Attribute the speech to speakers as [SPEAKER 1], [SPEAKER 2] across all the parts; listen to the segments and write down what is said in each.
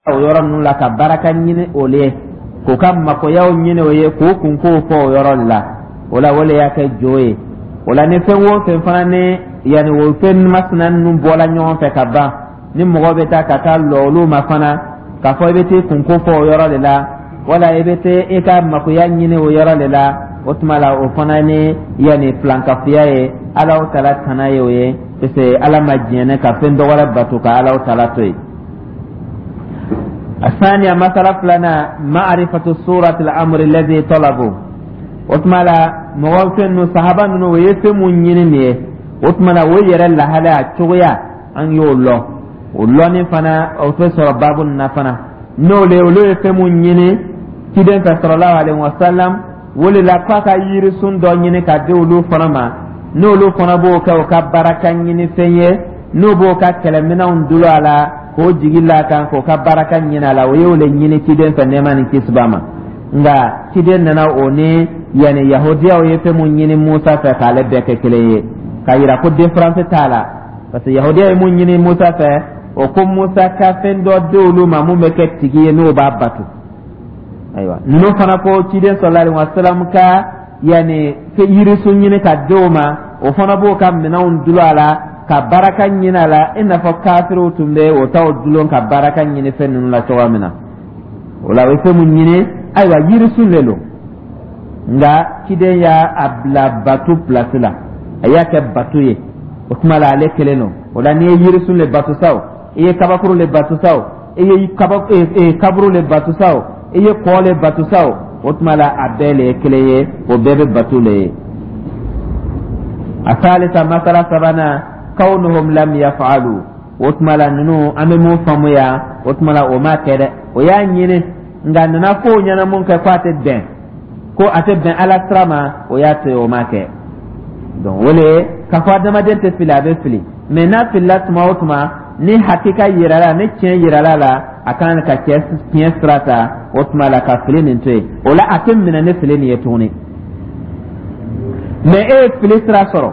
[SPEAKER 1] O yɔrɔ ninnu la ka baraka ɲini o ye, k'u ka makoyaw ɲini o ye, k'u kunkow fɔ o yɔrɔ la. O la, o le y'a kɛ jo ye. O la, ni fɛn o fɛn fana ni yanni o fɛn masina ninnu bɔla ɲɔgɔn fɛ ka ban, ni mɔgɔ bɛ taa ka taa lɔ olu ma fana, k'a fɔ i bɛ t'i kunko fɔ o yɔrɔ de la, wala i bɛ taa i ka makoya ɲini o yɔrɔ de la, o tuma la, o fana ni yanni filankafoya ye. Alahu Taala tana ye o ye, parce que Ala ma diɲɛ ka fɛn dɔ wɛrɛ bato ka Alahu Taala to yen. الثانية، مسألة فلنا، معرفة صورة الأمر الذي طلبوا. O tuma la, mɔgɔ fɛn ninnu, sahaba ninnu, o ye fɛn mun ɲini nin ye, o tuma la, o yɛrɛ lahalaya cogoya, an y'o lɔn. O lɔnni fana, o tɛ sɔrɔ baabu nin na fana. N'o le, olu ye fɛn mun ɲini ciden fɛ sallallahu alaihi wa sallam, o de la k'a ka yirisun dɔ ɲini ka di olu fana ma, n'olu fana b'o kɛ u ka baraka ɲini fɛn ye, n'u b'o ka kɛlɛminɛnw dulon a la k'o jigi la kan, k'o ka baraka ɲini a la. O y'o le ɲini ciden fɛ, nɛɛma ni kisi b'a ma. Nka ciden nana o ni yanni Yahudiyaw ye fɛn mun ɲini Musa fɛ, k'ale bɛɛ kɛ kelen ye, k'a yira ko différence t'a la, parce que Yahudiya ye mun ɲini Musa fɛ, o ko Musa ka fɛn dɔ di olu ma mun bɛ kɛ tigi ye, n'o b'a bato. Ayiwa, ninnu fana ko ciden sallallahu alaihi wa sallam ka yanni yirisun ɲini ka di o ma, o fana b'o ka minɛnw dulon a la ka baraka ɲini a la, i n'a fɔ kafiriw tun bɛ o taw dulon ka baraka ɲini fɛn ninnu la cogoya min na. O la, o ye fɛn mun ɲini, ayiwa, yirisun de don, nka ciden y'a bila bato place la, a y'a kɛ bato ye. O tuma la, ale kelen don. O la, n'i ye yirisun le bato sa o, i ye kabakuru le bato sa o, i ye kaburu le bato sa o, i ye kɔ le bato sa o, o tuma la, a bɛɛ le ye kelen ye, o bɛɛ bɛ bato le ye. الثالثة، masala sabanan، كونهم لم يفعلوا. O tuma la, ninnu, an bɛ mun faamuya o tuma la? O ma kɛ dɛ. O y'a ɲini, nka nana fo o ɲɛna mun kɛ ko a tɛ bɛn, ko a tɛ bɛn Ala sira ma, o y'a to yen, o ma kɛ. Donc o le k'a fɔ adamaden tɛ fili, a bɛ fili, mais n'a filila tuma o tuma, ni hakika yirala, ni tiɲɛ yirala la, a kan ka cɛ tiɲɛ sira ta. O tuma la, ka fili nin to yen, o la a tɛ minɛ ni fili nin ye tuguni. Mais e ye fili sira sɔrɔ,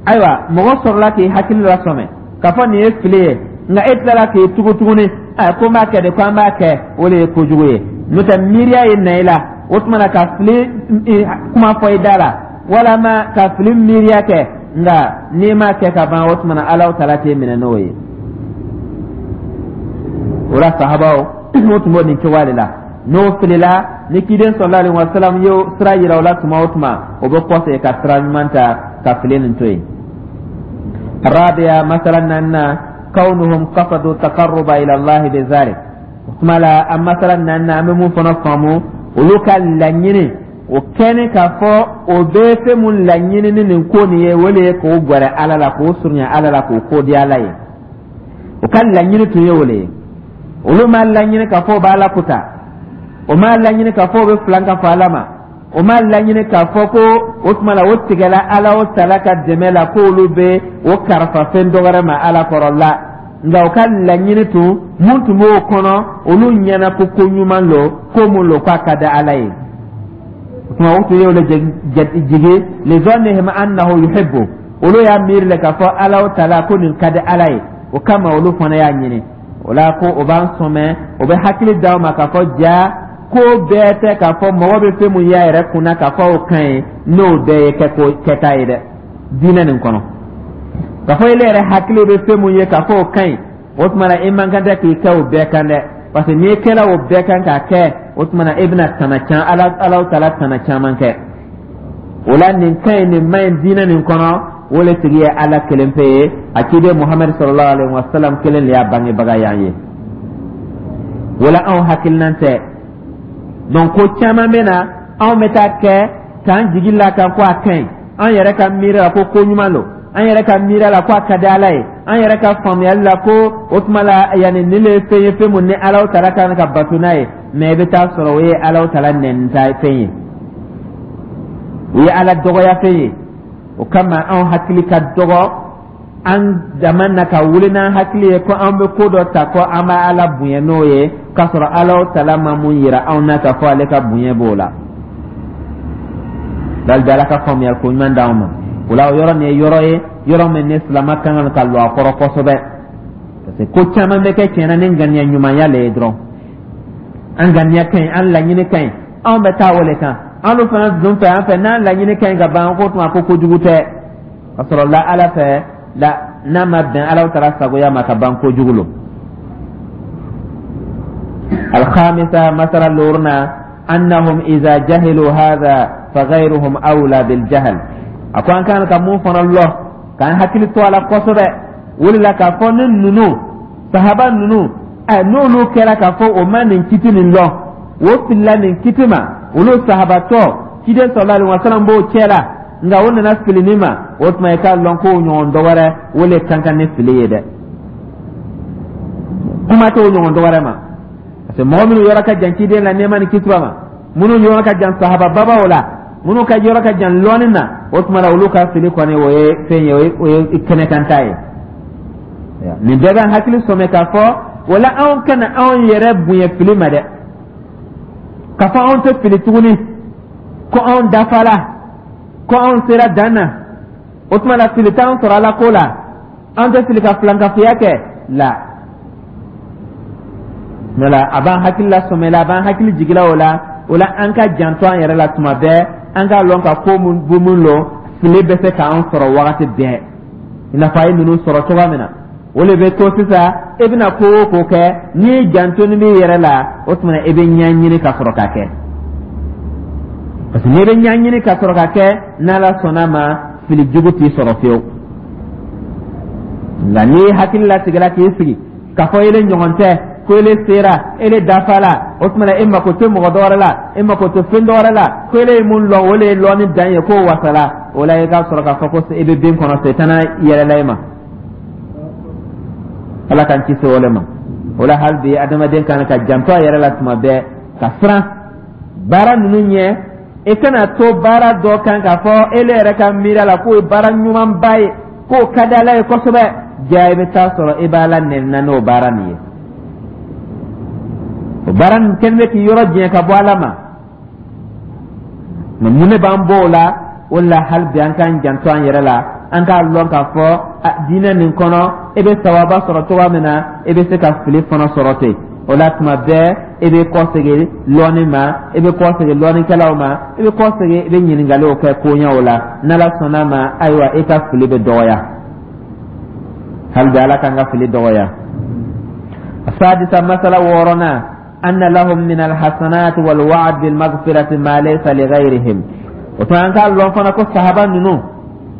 [SPEAKER 1] ayiwa, mɔgɔ sɔrɔla k'i hakili lasɔmɛ k'a fɔ nin ye fili ye, nka e tilala k'i tugu tuguni ɛ ko n b'a kɛ de, ko an b'a kɛ, o de ye kojugu ye. N'o tɛ, miiriya ye na i la, o tuma na ka fili kuma fɔ i da la, walama ka fili miiriya kɛ, nka n'i m'a kɛ ka ban, o tuma na, Alahu Taala t'e minɛ n'o ye. O la, sahabaw, o tun b'o nin cogoya de la. N'o filila, ni kiden sallallahu alaihi wa sallam ye sira yira o la tuma o tuma, o bɛ kɔsegin ka sira ɲuman ta ka fili nin to yen. الرابعة، masala naaninan، كونهم قصدوا التقرب إلى الله بذلك. O tuma la, an masala naaninan, an bɛ mun fana faamu? Olu ka laɲini o kɛnɛ k'a fɔ o bɛ fɛn mun laɲini ni nin ko nin ye, o de ye k'o gɛrɛ Ala la, k'o surunya Ala la, k'o ko di Ala ye. O ka laɲini tun ye o de ye. Olu m'a laɲini k'a fɔ o b'Ala kuta, o m'a laɲini k'a fɔ o bɛ filan ka fɔ Ala ma, o m'a laɲini k'a fɔ ko o tuma la o tigɛla Ala o tala ka dɛmɛ la, k'olu bɛ o karifa fɛn dɔ wɛrɛ ma Ala kɔrɔ la. Nka o ka laɲini tun mun tun b'o kɔnɔ, olu ɲɛna ko ko ɲuman lo, ko mun lo k'a ka di Ala ye. O tuma, o tun y'o le jigi لظنهم أنه يحبه. Olu y'a miiri le k'a fɔ Ala o tala ko nin ka di Ala ye, o kama olu fana y'a ɲini. O la, ko o b'an sɔmɛ, o bɛ hakili d'aw ma k'a fɔ ja ko bɛɛ tɛ k'a fɔ mɔgɔ bɛ fɛn mun y'a yɛrɛ kunna k'a fɔ o ka ɲi, n'o bɛɛ ye kɛko kɛta ye dɛ. Diinɛ nin kɔnɔ, k'a fɔ ele yɛrɛ hakili bɛ fɛn mun ye k'a fɔ o ka ɲi, o tuma na, i man kan tɛ k'i kɛ o bɛɛ kan dɛ, parce que n'i kɛla o bɛɛ kan k'a kɛ, o tuma na, e bɛna tana can Ala, Ala taala tana caman kɛ. O la, nin ka ɲi, nin ma ɲi diinɛ nin kɔnɔ, o le tigi ye Ala kelen pe ye, a ciden Muhamadu sallallahu alaihi wa sallam kelen de y'a bangebaga y'an ye. O la, anw hakilinan tɛ. Donc ko caman bɛ na, anw bɛ taa kɛ k'an jigi la kan ko a ka ɲi, an yɛrɛ ka miiri la ko ko ɲuman don, an yɛrɛ ka miiri la ko a ka di Ala ye, an yɛrɛ ka faamuyali la ko o tuma la yanni nin le ye fɛn ye, fɛn mun ni Ala taala kan ka bato n'a ye. Mais i bɛ taa sɔrɔ o ye Ala taala nɛnita fɛn ye, o ye Ala dɔgɔya fɛn ye. O kama, anw hakili ka dɔgɔ an dama na ka wuli n'an hakili ye ko an bɛ ko dɔ ta ko an b'a Ala bonya n'o ye, k'a sɔrɔ Ala taala ma mun yira anw na k'a fɔ ale ka bonya b'o la. Bali Ala ka faamuyali ko ɲuman d'anw ma. O la, o yɔrɔ nin ye yɔrɔ ye, yɔrɔ min ni silamɛ kan ka lɔ a kɔrɔ kosɛbɛ, parce que ko caman bɛ kɛ tiɲɛna ni ŋaniya ɲumanya le ye dɔrɔn. An ŋaniya ka ɲi, an laɲini ka ɲi, anw bɛ taa o le kan. An fana dun fɛ, an fɛ n'an laɲini ka ɲi ka ban, ko tuma ko kojugu tɛ. Ka sɔrɔ la Ala fɛ la, n'a ma bɛn Ala taala sagoya ma ka ban, kojugu lo. الخامسة masala loruna أنهم إذا جهلوا هذا فغيرهم أولى بالجهل. A ko an kan ka mun fana lɔ k'an hakili to a la kosɛbɛ, o de la k'a fɔ ni ninnu sahaba ninnu ɛ, n'olu kɛra k'a fɔ o ma nin kiti nin lɔn, o filila nin kiti ma, olu sahabatɔ ciden sallallahu alaihi wasallam b'o cɛ la, nka o nana fili nin ma, o tuma i k'a lɔn k'o ɲɔgɔn dɔ wɛrɛ, o le kan kan ni fili ye dɛ. Kuma t'o ɲɔgɔn dɔ wɛrɛ ma, parce que mɔgɔ minnu yɔrɔ ka jan ciden la, nɛɛma ni kisi b'a ma, minnu yɔrɔ ka jan sahaba babaw la, minnu ka yɔrɔ ka jan lɔnni na, o tuma na olu ka fili kɔni, o ye fɛn ye, o ye kɛnɛkanta ye. Nin bɛɛ b'an hakili sɔmɛ k'a fɔ wala anw kana anw yɛrɛ bonya fili ma dɛ, k'a fɔ anw tɛ fili tuguni, ko anw dafala, ko anw sera dan na, o tuma na fili t'anw sɔrɔ Ala ko la, an tɛ fili ka filankafoya kɛ la. Wala a b'an hakili la sɔmɛ la, a b'an hakili jigila o la. O la, an ka janto an yɛrɛ la tuma bɛɛ, an k'a lɔn ka ko mun bu mun lɔ, fili bɛ se k'an sɔrɔ wagati bɛɛ, i n'a fɔ a ye ninnu sɔrɔ cogoya min na. O de bɛ to sisan, e bɛna ko o ko kɛ, n'i janto ni b'i yɛrɛ la, o tuma e bɛ ɲɛɲini ka sɔrɔ ka kɛ, parce que n'i bɛ ɲɛɲini ka sɔrɔ ka kɛ, n'Ala sɔnna ma, fili jugu t'i sɔrɔ fiyewu. Nka n'i hakili latigɛla k'i sigi k'a fɔ ele ɲɔgɔn tɛ, ko ele sera, ele dafala, o tuma e mako tɛ mɔgɔ dɔ wɛrɛ la, e mako tɛ fɛn dɔ wɛrɛ la, ko ele ye mun lɔn, o le ye lɔnni dan ye, k'o wasala, o la i k'a sɔrɔ k'a fɔ ko e bɛ bin kɔnɔ, setana yɛlɛla e ma. Ala k'an kisi o le ma. O la, hali bi adamaden kan ka janto a yɛrɛ la tuma bɛɛ, ka siran baara ninnu ɲɛ. I kana to baara dɔ kan k'a fɔ ele yɛrɛ ka miiri la k'o ye baara ɲumanba ye, k'o ka di Ala ye kosɛbɛ, ja i bɛ taa sɔrɔ i b'Ala nɛni n'o baara nin ye. O baara nin kɛlen bɛ k'i yɔrɔ janya ka bɔ Ala ma. Mɛ mun de b'an bɔ o la? O la, hali bi an k'an janto an yɛrɛ la, an k'a lɔn k'a fɔ diinɛ nin kɔnɔ, e bɛ sawaba sɔrɔ cogoya min na, e bɛ se ka fili fana sɔrɔ ten. O la, tuma bɛɛ e bɛ kɔsegin lɔnni ma, e bɛ kɔsegin lɔnnikɛlaw ma, e bɛ kɔsegin, i bɛ ɲininkaliw kɛ koɲɛw la. N'Ala sɔnna ma, ayiwa, e ka fili bɛ dɔgɔya. Hali bi Ala k'an ka fili dɔgɔya. السادسة masala wɔɔrɔnan أن لهم من الحسنات والوعد بالمغفرة ما ليس لغيرهم. O tuma an k'a lɔn fana ko sahaba ninnu,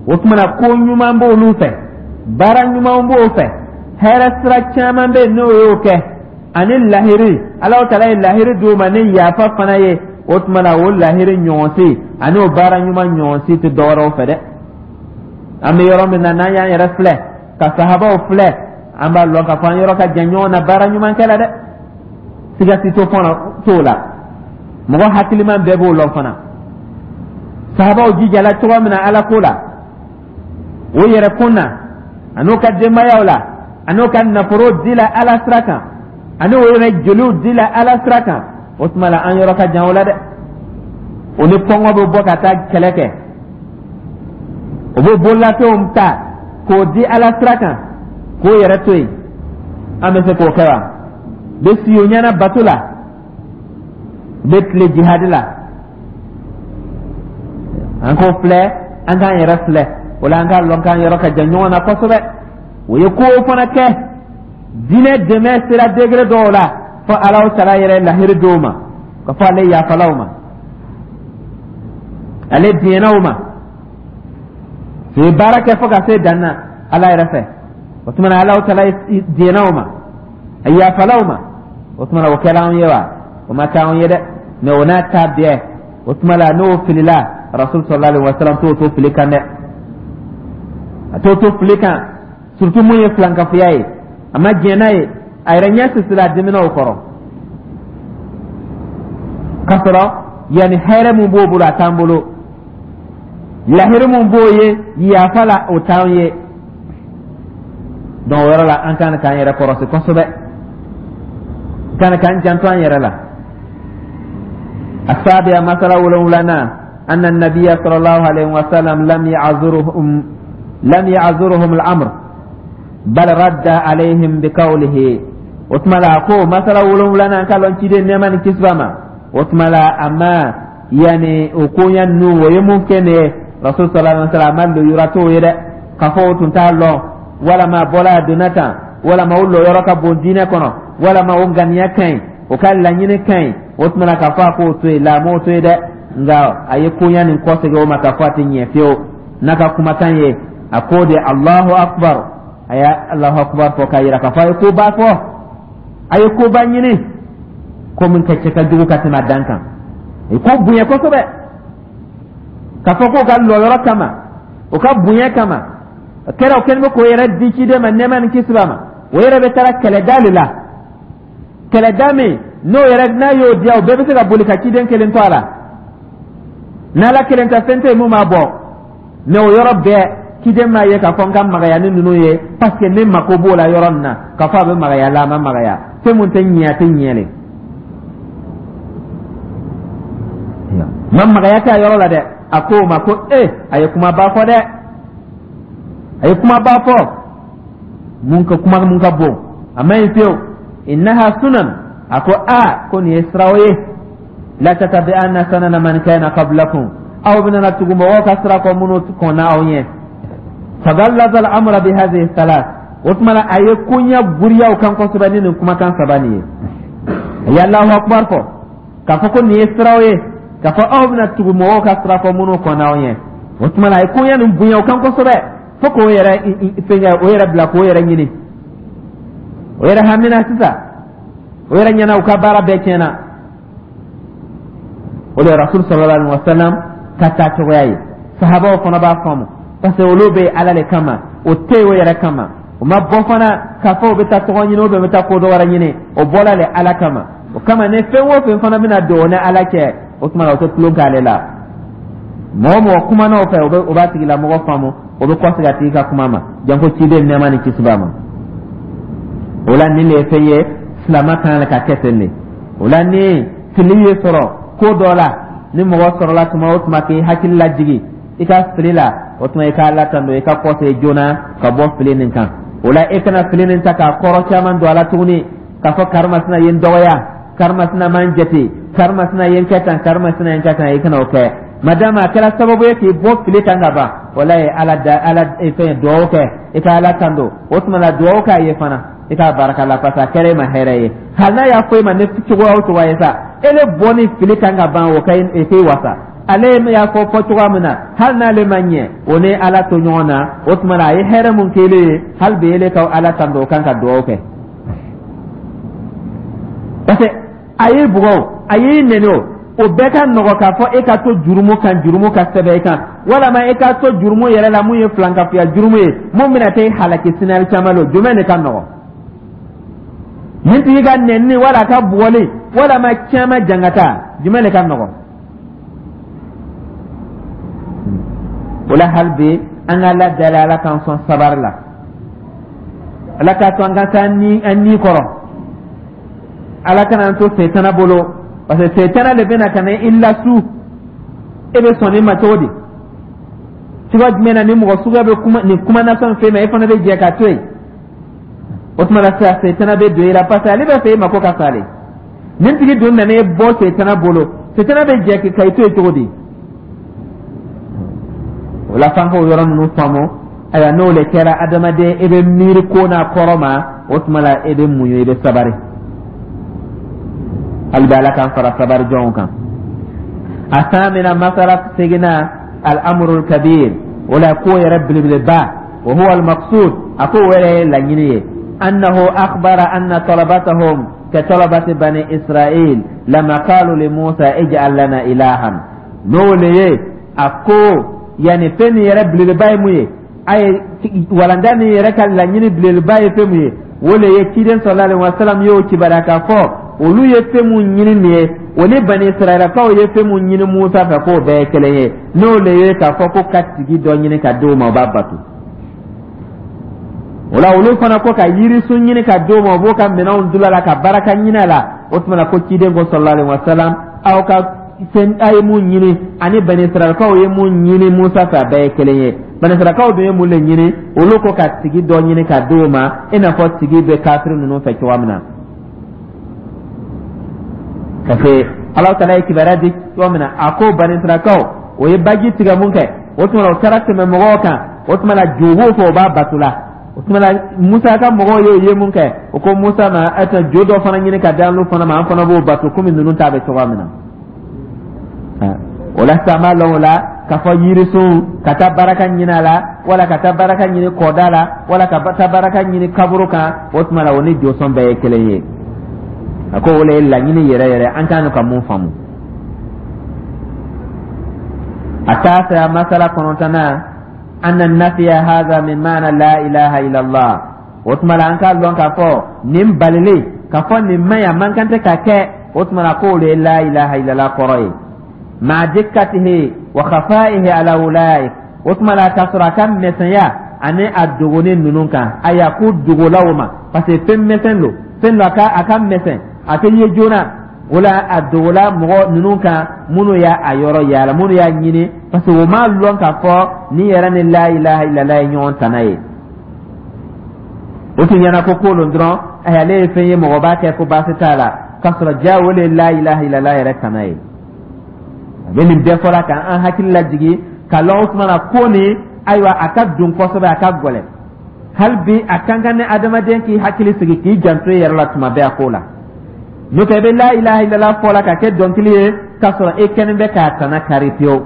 [SPEAKER 1] o tuma na ko ɲuman b'olu fɛ, baara ɲuman b'o fɛ, hɛrɛ sira caman bɛ yen n'o y'o kɛ, ani lahiri Alahu taala ye lahiri d'u ma ni yafa fana ye. O tuma na o lahiri ɲɔgɔn si ani o baara ɲuman ɲɔgɔn si tɛ dɔwɛrɛw fɛ dɛ. An bɛ yɔrɔ min na, n'an y'an yɛrɛ filɛ ka sahabaw filɛ, an b'a lɔn k'a fɔ an yɔrɔ ka jan ɲɔgɔn na baara ɲuman kɛ la dɛ. Siga si t'o fana t'o la, mɔgɔ hakiliman bɛɛ b'o lɔn fana. Sahabaw jijala cogo min na Ala ko la, o yɛrɛ kun na, an'u ka denbayaw la, an'u ka nafolo di la Ala sira kan, ani o yɛrɛ joliw di la Ala sira kan, o tuma la an yɔrɔ ka jan o la dɛ. O ni kɔngɔ bɛ bɔ ka taa kɛlɛ kɛ, o bɛ bololafɛnw ta k'o di Ala sira kan, k'o yɛrɛ to yen. An bɛ se k'o kɛ wa? Bɛ si o ɲɛna bato la, bɛ tile jihadi la. An k'o filɛ, an k'an yɛrɛ filɛ. O la, an k'a lɔn k'an yɔrɔ ka jan ɲɔgɔn na kosɛbɛ. O ye ko fana kɛ, diinɛ dɛmɛ sera degré dɔw la, fo Alahu taala yɛrɛ lahiri dɔw ma ka fɔ ale yafalaw ma, ale diɲɛnaw ma. U ye baara kɛ fo ka se dan na Ala yɛrɛ fɛ, o tuma na Alahu taala diɲɛnaw ma, a yafalaw ma. O tuma na o kɛra anw ye wa? O ma kɛ anw ye dɛ. Mɛ o n'a ta bɛɛ, o tuma la n'o filila, Rasul sallallahu alaihi wa sallam t'o to fili kan dɛ, a t'o to fili kan, surtout mun ye filankafoya ye. A ma diɲɛ n'a ye, a yɛrɛ ɲɛ sisira, a dimina o kɔrɔ, k'a sɔrɔ yanni hɛrɛ mun b'o bolo, a t'an bolo, lahiri mun b'o ye yafa la, o t'an ye. Donc o yɔrɔ la, an kan k'an yɛrɛ kɔrɔsi kosɛbɛ, kan k'an janto an yɛrɛ la. السابعة masala wolonwulanan أن النبي صلى الله عليه وسلم لم يعذرهم الأمر بل رد عليهم بقوله. O tuma la, a ko masala wolonwulanan ka lɔn ciden, nɛɛma ni kisi b'a ma. O tuma la, a ma yanni o koɲa ninnu, o ye mun kɛ nin ye, Rasul sallallahu alaihi wa sallam, a ma lujura t'o ye dɛ, k'a fɔ o tun t'a lɔn, walama a bɔla a donna tan, walama o lɔyɔrɔ ka bon diinɛ kɔnɔ, walama o ŋaniya ka ɲi, o ka laɲini ka ɲi. O tuma na, k'a fɔ a k'o to yen la, a m'o to yen dɛ, nka a ye koɲa nin kɔsegin o ma k'a fɔ a tɛ ɲɛ fiyewu n'a ka kumakan ye. A ko de Allahu akbar, a ye Allahu akbar fɔ k'a yira k'a fɔ a ye koba fɔ, a ye koba ɲini, ko min ka cɛ ka jugu ka tɛmɛ a dan kan, a ye ko bonya kosɛbɛ, k'a fɔ k'o ka lɔyɔrɔ kama, o ka bonya kama, a kɛra o kɛlen bɛ k'o yɛrɛ di ciden ma, nɛɛma ni kisi b'a ma. O yɛrɛ bɛ taara kɛlɛda de la, kɛlɛda min n'o yɛrɛ n'a y'o diya, o bɛɛ bɛ se ka boli ka ciden kelen to a la. N'Ala kelen tɛ, fɛn tɛ yen mun b'a bɔ. Mɛ o yɔrɔ bɛɛ, ciden m'a ye k'a fɔ n ka magaya ni ninnu ye, parce que ne mako b'o la yɔrɔ nin na, k'a fɔ a bɛ magaya la, a ma magaya, fɛn mun tɛ ɲɛ, a tɛ ɲɛ le ma magaya tɛ a yɔrɔ la dɛ. A ko o ma ko ee, a ye kumaba fɔ dɛ, a ye kumaba fɔ, mun ka kuma mun ka bon, a ma ɲi fiyewu. Innaha sunan, a ko a ko nin ye siraw ye, la tatabi'anna sanana man kana qablakum, aw bɛna tugu mɔgɔw ka sira kɔ minnu kɔnna aw ɲɛ. Fagallaza al-amra bi hadhihi thalath. O tuma na, a ye koɲɛ giriya u kan kosɛbɛ ni nin kumakan saba nin ye. A ye Allahu akbar fɔ k'a fɔ ko nin ye siraw ye, k'a fɔ aw bɛna tugu mɔgɔw ka sira kɔ minnu kɔnna aw ɲɛ. O tuma na, a ye koɲɛ nin bonya u kan kosɛbɛ fo k'o yɛrɛ fɛnkɛ, o yɛrɛ bila k'o yɛrɛ ɲini, o yɛrɛ hamina sisan, o yɛrɛ ɲɛna u ka baara bɛɛ tiɲɛna. O de ye Rasul sallallahu alaihi wa sallam ka taa cogoya ye. Sahabaw fana b'a faamu, parce que olu bɛ Ala le kama, o tɛ yen o yɛrɛ kama. O ma bɔ fana k'a fɔ o bɛ taa tɔgɔ ɲini, o bɛ taa ko dɔ wɛrɛ ɲini, o bɔla le Ala kama. O kama, ni fɛn o fɛn fana bɛna don o ni Ala cɛ, o tuma na, o tɛ tulon k'ale la. Mɔgɔ mɔgɔ kumana o fɛ, o bɛ o b'a tigilamɔgɔ faamu, o bɛ kɔsegin a tigi ka kuma ma, janko ciden, nɛɛma ni kisi b'a ma. O la, nin de ye fɛn ye, silama kan ka kɛ ten de. O la, ni fili ye sɔrɔ ko dɔ la, ni mɔgɔ sɔrɔla tuma o tuma k'i hakili lajigin i ka fili la, o tuma i ka Ala tando, i ka kɔsegin joona ka bɔ fili nin kan. O la, e kana fili nin ta k'a kɔrɔ caman don a la tuguni, k'a fɔ karimasina ye n dɔgɔya, karimasina ma n jate, karimasina ye n kɛ tan, karimasina ye n kɛ tan. I kana o kɛ, madama a kɛra sababu ye k'i bɔ fili kan ka ban. Walayi, Ala da Ala fɛn duwawu kɛ, i ka Ala tando. O tuma la, duwawu k'a ye fana, i k'a barika la, parce que a kɛra e ma hɛrɛ ye. Hali n'a y'a fɔ e ma ne cogoya o cogoya ye sa, e le bɔ ni fili kan ka ban, o ka e k'i wasa. Ale y'a fɔ fɔ cogoya min na, hali n'ale ma ɲɛ, o ni Ala to ɲɔgɔn na. O tuma la, a ye hɛrɛ mun k'ele ye, hali bi ele ka Ala tando o kan, ka duwawu kɛ, parce que a y'i bugɔ o, a y'i nɛni o, o bɛɛ ka nɔgɔ k'a fɔ e ka to jurumu kan, jurumu ka sɛbɛn i kan, walama e ka to jurumu yɛrɛ la mun ye filankafoya jurumu ye, mun bɛna taa e halaki sini alikiyama lon. Jumɛn de ka nɔgɔ, nin tigi ka nɛnini wala a ka bugɔli, walama caman jangata, jumɛn de ka nɔgɔ? O la, hali bi an ka Ala dali, Ala k'an sɔn sabari la, Ala k'a to an ka taa ni an ni kɔrɔ, Ala kana an to setana bolo, parce que setana de bɛna ka na i lasu. E bɛ sɔn nin ma cogo di? Cogoya jumɛn na ni mɔgɔ suguya bɛ kuma nin kuma nasɔn fɛn ma, e fana bɛ jɛ ka to yen? O tuma la sisan, setana bɛ don i la, parce que ale b'a fɛ e mako ka sa ale. Nin tigi dun nana e bɔ setana bolo, setana bɛ jɛ ka i to yen cogo di? O la, f'an k'o yɔrɔ ninnu faamu. Ayiwa, n'o le kɛra, adamaden, e bɛ miiri ko n'a kɔrɔ ma, o tuma la e bɛ muɲu, i bɛ sabari. Hali bi, Ala k'an fara sabari jɔnw kan. Asamina, masala seginna, al-amrul kabir, o la ko yɛrɛ belebeleba, wa huwa al-maqsud, a ko o yɛrɛ ye laɲini ye, annahu akhbara anna talabatahum ka talabati bani Israil lama qalu li Musa ij'al lana ilahan. N'o le ye, a ko yanni fɛn min yɛrɛ belebeleba ye mun ye, a ye walanda min yɛrɛ ka laɲini belebeleba ye fɛn mun ye, o le ye ciden sallallahu alaihi wasallam y'o kibaruya k'a fɔ olu ye fɛn mun ɲini nin ye, o ni bani Israɛlakaw ye fɛn mun ɲini Musa fɛ, k'o bɛɛ ye kelen ye. N'o le ye k'a fɔ ko ka tigi dɔ ɲini ka d'o ma, o b'a bato. O la, olu fana ko ka yirisun ɲini ka d'o ma, o b'o ka minɛnw dulon a la ka baraka ɲini a la. O tuma na, ko ciden ko sallallahu alaihi wasallam, aw ka fɛn a ye mun ɲini ani bani Israɛlakaw ye mun ɲini Musa fɛ, a bɛɛ ye kelen ye. Bani Israɛlakaw dun ye mun de ɲini? Olu ko ka tigi dɔ ɲini ka d'o ma, i n'a fɔ tigi bɛ kafiri ninnu fɛ cogoya min na. Parce que Ala taala ye kibaruya di cogo min na, a ko banisirakaw, o ye baji tigɛ mun kɛ, o tuma o taara tɛmɛ mɔgɔw kan, o tuma la jo b'o fɛ, o b'a bato la. O tuma la Musa ka mɔgɔw y'o ye mun kɛ, o ko Musa ma: "E tɛ jo dɔ fana ɲini ka di an fana ma, an fana b'o bato komi ninnu ta bɛ cogoya min na." O la sisan, an b'a lɔn o la k'a fɔ yirisun ka taa baraka ɲini a la, wala ka taa baraka ɲini kɔda la, wala ka taa baraka ɲini kaburu kan, o tuma la o ni josɔn bɛɛ ye kelen ye. A ko o le ye laɲini yɛrɛ yɛrɛ an kan ka mun faamu. التاسعة, masala kɔnɔntɔnnan, anna nafiya hadha min maana la ilaha illallah. O tuma la an k'a lɔn k'a fɔ nin balili k'a fɔ nin man ɲi, a man kan tɛ ka kɛ, o tuma la k'o de ye la ilaha illallah kɔrɔ ye. Ma'a dikkatihi wa khafaihi ala ulaik, o tuma la k'a sɔrɔ a ka misɛnya ani a dogoni ninnu kan. Ayiwa, ko dogola o ma, parce que fɛn misɛn don, fɛn dɔ a ka misɛn, a tɛ ye joona. O la a dogola mɔgɔ ninnu kan minnu y'a a yɔrɔ yaala, minnu y'a ɲini, parce que o m'a lɔn k'a fɔ nin yɛrɛ ni la ilaha illallah ye ɲɔgɔn tana ye. O tun ɲɛna ko ko lon dɔrɔn, ayi, ale ye fɛn ye, mɔgɔ b'a kɛ ko baasi t'a la, k'a sɔrɔ ja o de ye la ilaha illallah yɛrɛ tana ye. A bɛ nin bɛɛ fɔla ka an hakili lajigin ka lɔn. O tuma na ko nin, ayiwa, a ka dun kosɛbɛ, a ka gɛlɛn. Hali bi a kan ka ni adamaden k'i hakili sigi, k'i janto i yɛrɛ la tuma bɛɛ a ko la. N'o tɛ, i bɛ la ilaha illallah fɔ la ka kɛ dɔnkili ye, k'a sɔrɔ e kɛlen bɛ k'a tana kari pewu.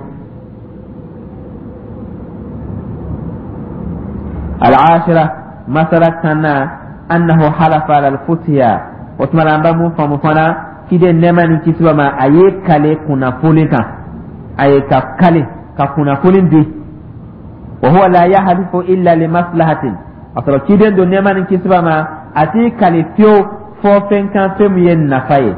[SPEAKER 1] Al-ashira, masala 10nan, annahu halafa ala al-futiya. O tuma la an bɛ mun faamu fana? Ciden, nɛɛma ni kisi b'a ma, a ye kale kunnafoni kan, a ye ka kale ka kunnafoni di. Wa huwa la yahlifu illa li maslahatin. A sɔrɔ ciden don, nɛɛma ni kisi b'a ma, a t'i kale fiyewu fɔ fɛn kan, fɛn min ye nafa ye.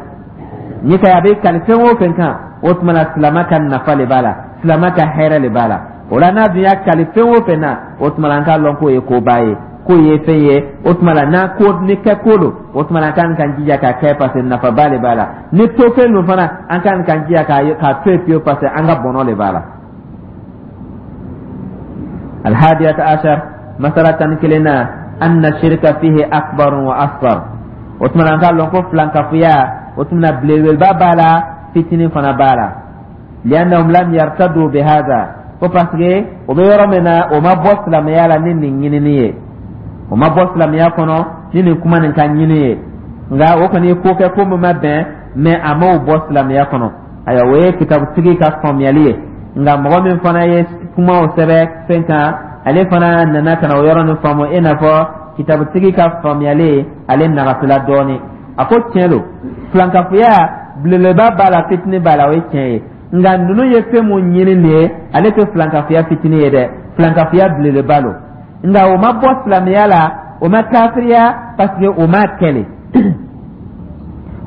[SPEAKER 1] Ni ka a bɛ kale fɛn o fɛn kan, o tuma na silama ka nafa le b'a la, silama ka hɛrɛ le b'a la. O la n'a dun y'a kale fɛn o fɛn na, o tuma na an k'a lɔn k'o ye koba ye, k'o ye fɛn ye. O tuma la n'a ko ni kɛ ko don, o tuma na an kan k'an jija k'a kɛ, parce que nafaba le b'a la. Ni to fɛn don fana, an kan k'an jija k'a to yen fiyewu, parce que an ka bɔnɔ le b'a la. Alhadiyata ashar, masala 11nan, anna shirka fihi akbar wa asghar. O tuma na an k'a lɔn ko filankafoya, o tuma na belebeleba b'a la, fitinin fana b'a la. Liannahum lam yartadu bihadha, ko parce que o bɛ yɔrɔ min na, o ma bɔ silamɛya la ni nin ɲinini ye, o ma bɔ silamɛya kɔnɔ ni nin kuma nin ka ɲini ye. Nka o kɔni ye ko kɛ, ko min ma bɛn, mais a m'o bɔ silamɛya kɔnɔ. Ayiwa, o ye kitabutigi ka faamuyali ye. Nka mɔgɔ min fana ye kumaw sɛbɛn fɛn kan, ale fana nana ka na o yɔrɔ nin faamu i n'a fɔ kitabutigi ka faamuyali, ale nagasila dɔɔnin. A ko tiɲɛ don, filankafoya belebeleba b'a la, fitinin b'a la, o ye tiɲɛ ye. Nka ninnu ye fɛn mun ɲini nin ye, ale tɛ filankafoya fitinin ye dɛ, filankafoya belebeleba don. Nka o ma bɔ silamɛya la, o ma kafiriya, parce que o ma kɛlɛ,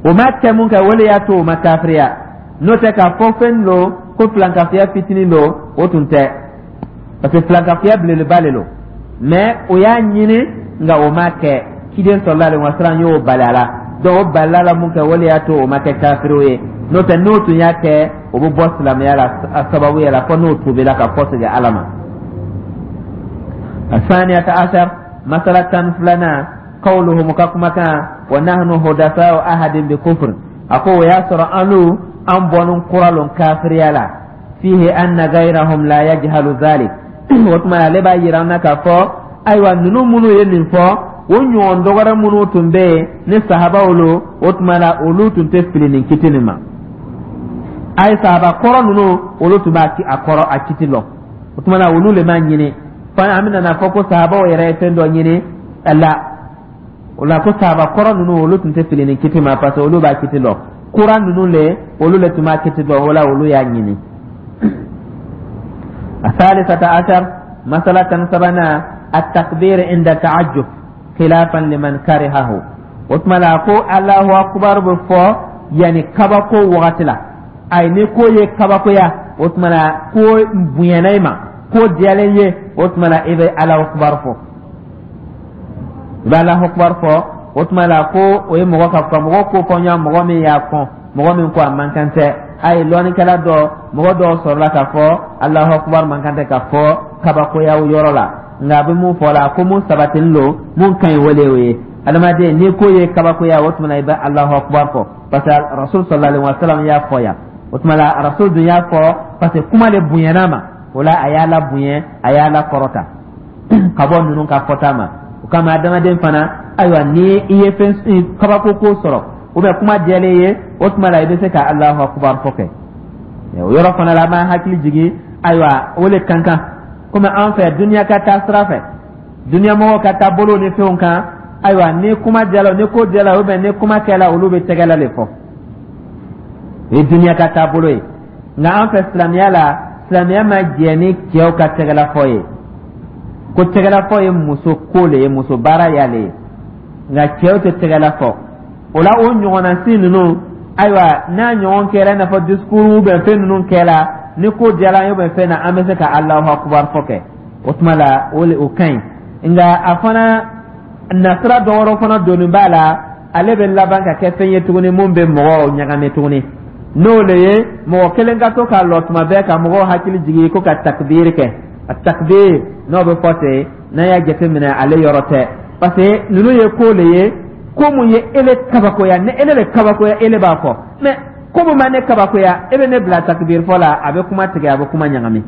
[SPEAKER 1] o ma kɛ mun kɛ, o de y'a to o ma kafiriya. N'o tɛ, k'a fɔ fɛn don ko filankafoya fitinin don, o tun tɛ, parce que filankafoya belebeleba de don. Mais o y'a ɲini, nka o ma kɛ. Ciden sallallahu alaihi wasallam y'o bali a la. Donc o balila la mun kɛ, o de y'a to o ma kɛ kafiriw ye. N'o tɛ, n'o tun y'a kɛ, o bɛ bɔ silamɛya la a sababu yɛrɛ fɔ n'o tubila ka kɔsegin Ala ma. الثانية عشر, masala 12nan, qawluhum, ka kumakan, wa nahnu hudasa'u ahadin bi kufr. A ko o y'a sɔrɔ anu an bɔnin kura lon kafiriya la. Fihi anna gayrahum la yajhalu dhalik. O tuma ale b'a yira an na k'a fɔ, ayiwa, ninnu minnu ye nin fɔ, o ɲɔgɔn dɔgɔrɛ minnu tun bɛ yen ni sahabaw lo, o tuma la olu tun tɛ fili nin kiti nin ma. A ye sahaba kɔrɔ ninnu, olu tun b'a a kɔrɔ a kiti lɔn. O tuma la olu le m'a ɲini fo an bɛna n'a fɔ ko sahabaw yɛrɛ ye fɛn dɔ ɲini la. O la ko sahaba kɔrɔ ninnu, olu tun tɛ fili nin kiti ma, parce que olu b'a kiti lɔn. Kura ninnu le, olu le tun b'a kiti dɔn, o la olu y'a ɲini. الثالثة عشر, masala 13nan, التكبير عند تعجب خلافا لمن كرهه. O tuma la ko Allahu akbar bɛ fɔ yanni kabako wagati la. Ayi, ni ko ye kabakoya, o tuma la ko bonyana i ma, ko diyalen ye, o tuma la i bɛ Allahu akbar fɔ, i bɛ Allahu akbar fɔ. O tuma la ko o ye mɔgɔ ka fɔ mɔgɔ ko fɔ ɲɔgɔn, mɔgɔ min y'a kɔn, mɔgɔ min ko a man kan tɛ. A ye lɔnnikɛla dɔ, mɔgɔ dɔw sɔrɔla k'a fɔ Allahu akbar man kan tɛ ka fɔ kabakoya yɔrɔ la. Nka a bɛ mun fɔ la, ko mun sabatilen don, mun ka ɲi, wele o ye. Adamaden, ni ko ye kabakoya, o tuma na i bɛ Alahu akubar fɔ, parce que Rasul sallallahu alaihi wa sallam y'a fɔ yan. O tuma la, Rasul dun y'a fɔ parce que kuma de bonyana ma. O la, a y'a la bonya, a y'a la kɔrɔta ka bɔ ninnu ka fɔta ma. O kama, adamaden fana, ayiwa, ni i ye fɛn kabako ko sɔrɔ ou bien kuma diyalen ye, o tuma la i bɛ se ka Alahu akubar fɔ kɛ. O yɔrɔ fana la, an b'an hakili jigin, ayiwa, o le kan kan komi an fɛ duniya ka taa sira fɛ, duniya mɔgɔw ka taa bolo ni fɛnw kan. Ayiwa, ni kuma diyala, ni ko diyala ou bien ni kuma kɛla, olu bɛ tɛgɛla le fɔ. O ye duniya ka taabolo ye. Nka an fɛ silamɛya la, silamɛya ma jɛ ni cɛw ka tɛgɛla fɔ ye, ko tɛgɛla fɔ ye muso ko le ye, muso baara y'ale ye, nka cɛw tɛ tɛgɛla fɔ. O la, o ɲɔgɔnna si ninnu, ayiwa, n'a ɲɔgɔn kɛra, i n'a fɔ discours ou bien fɛn ninnu kɛra, ni ko diyara an ye ou bien fɛn na, an bɛ se ka Alahu akubar fɔ kɛ. O tuma la, o le o ka ɲi. Nka a fana nasira dɔ wɛrɛ fana donni b'a la, ale bɛ laban ka kɛ fɛn ye tuguni mun bɛ mɔgɔw ɲagami tuguni. N'o le ye mɔgɔ kelen ka to k'a lɔ tuma bɛɛ ka mɔgɔw hakili jigin ko ka takbir kɛ. A takbir n'o bɛ fɔ ten, n'an y'a jateminɛ, ale yɔrɔ tɛ, parce que ninnu ye ko le ye, ko mun ye ele kabakoya. Ni ele le kabakoya, ele b'a fɔ. Mais ko mun ma ne kabakoya, e bɛ ne bila takbir fɔ la, a bɛ kuma tigɛ, a bɛ kuma ɲagami.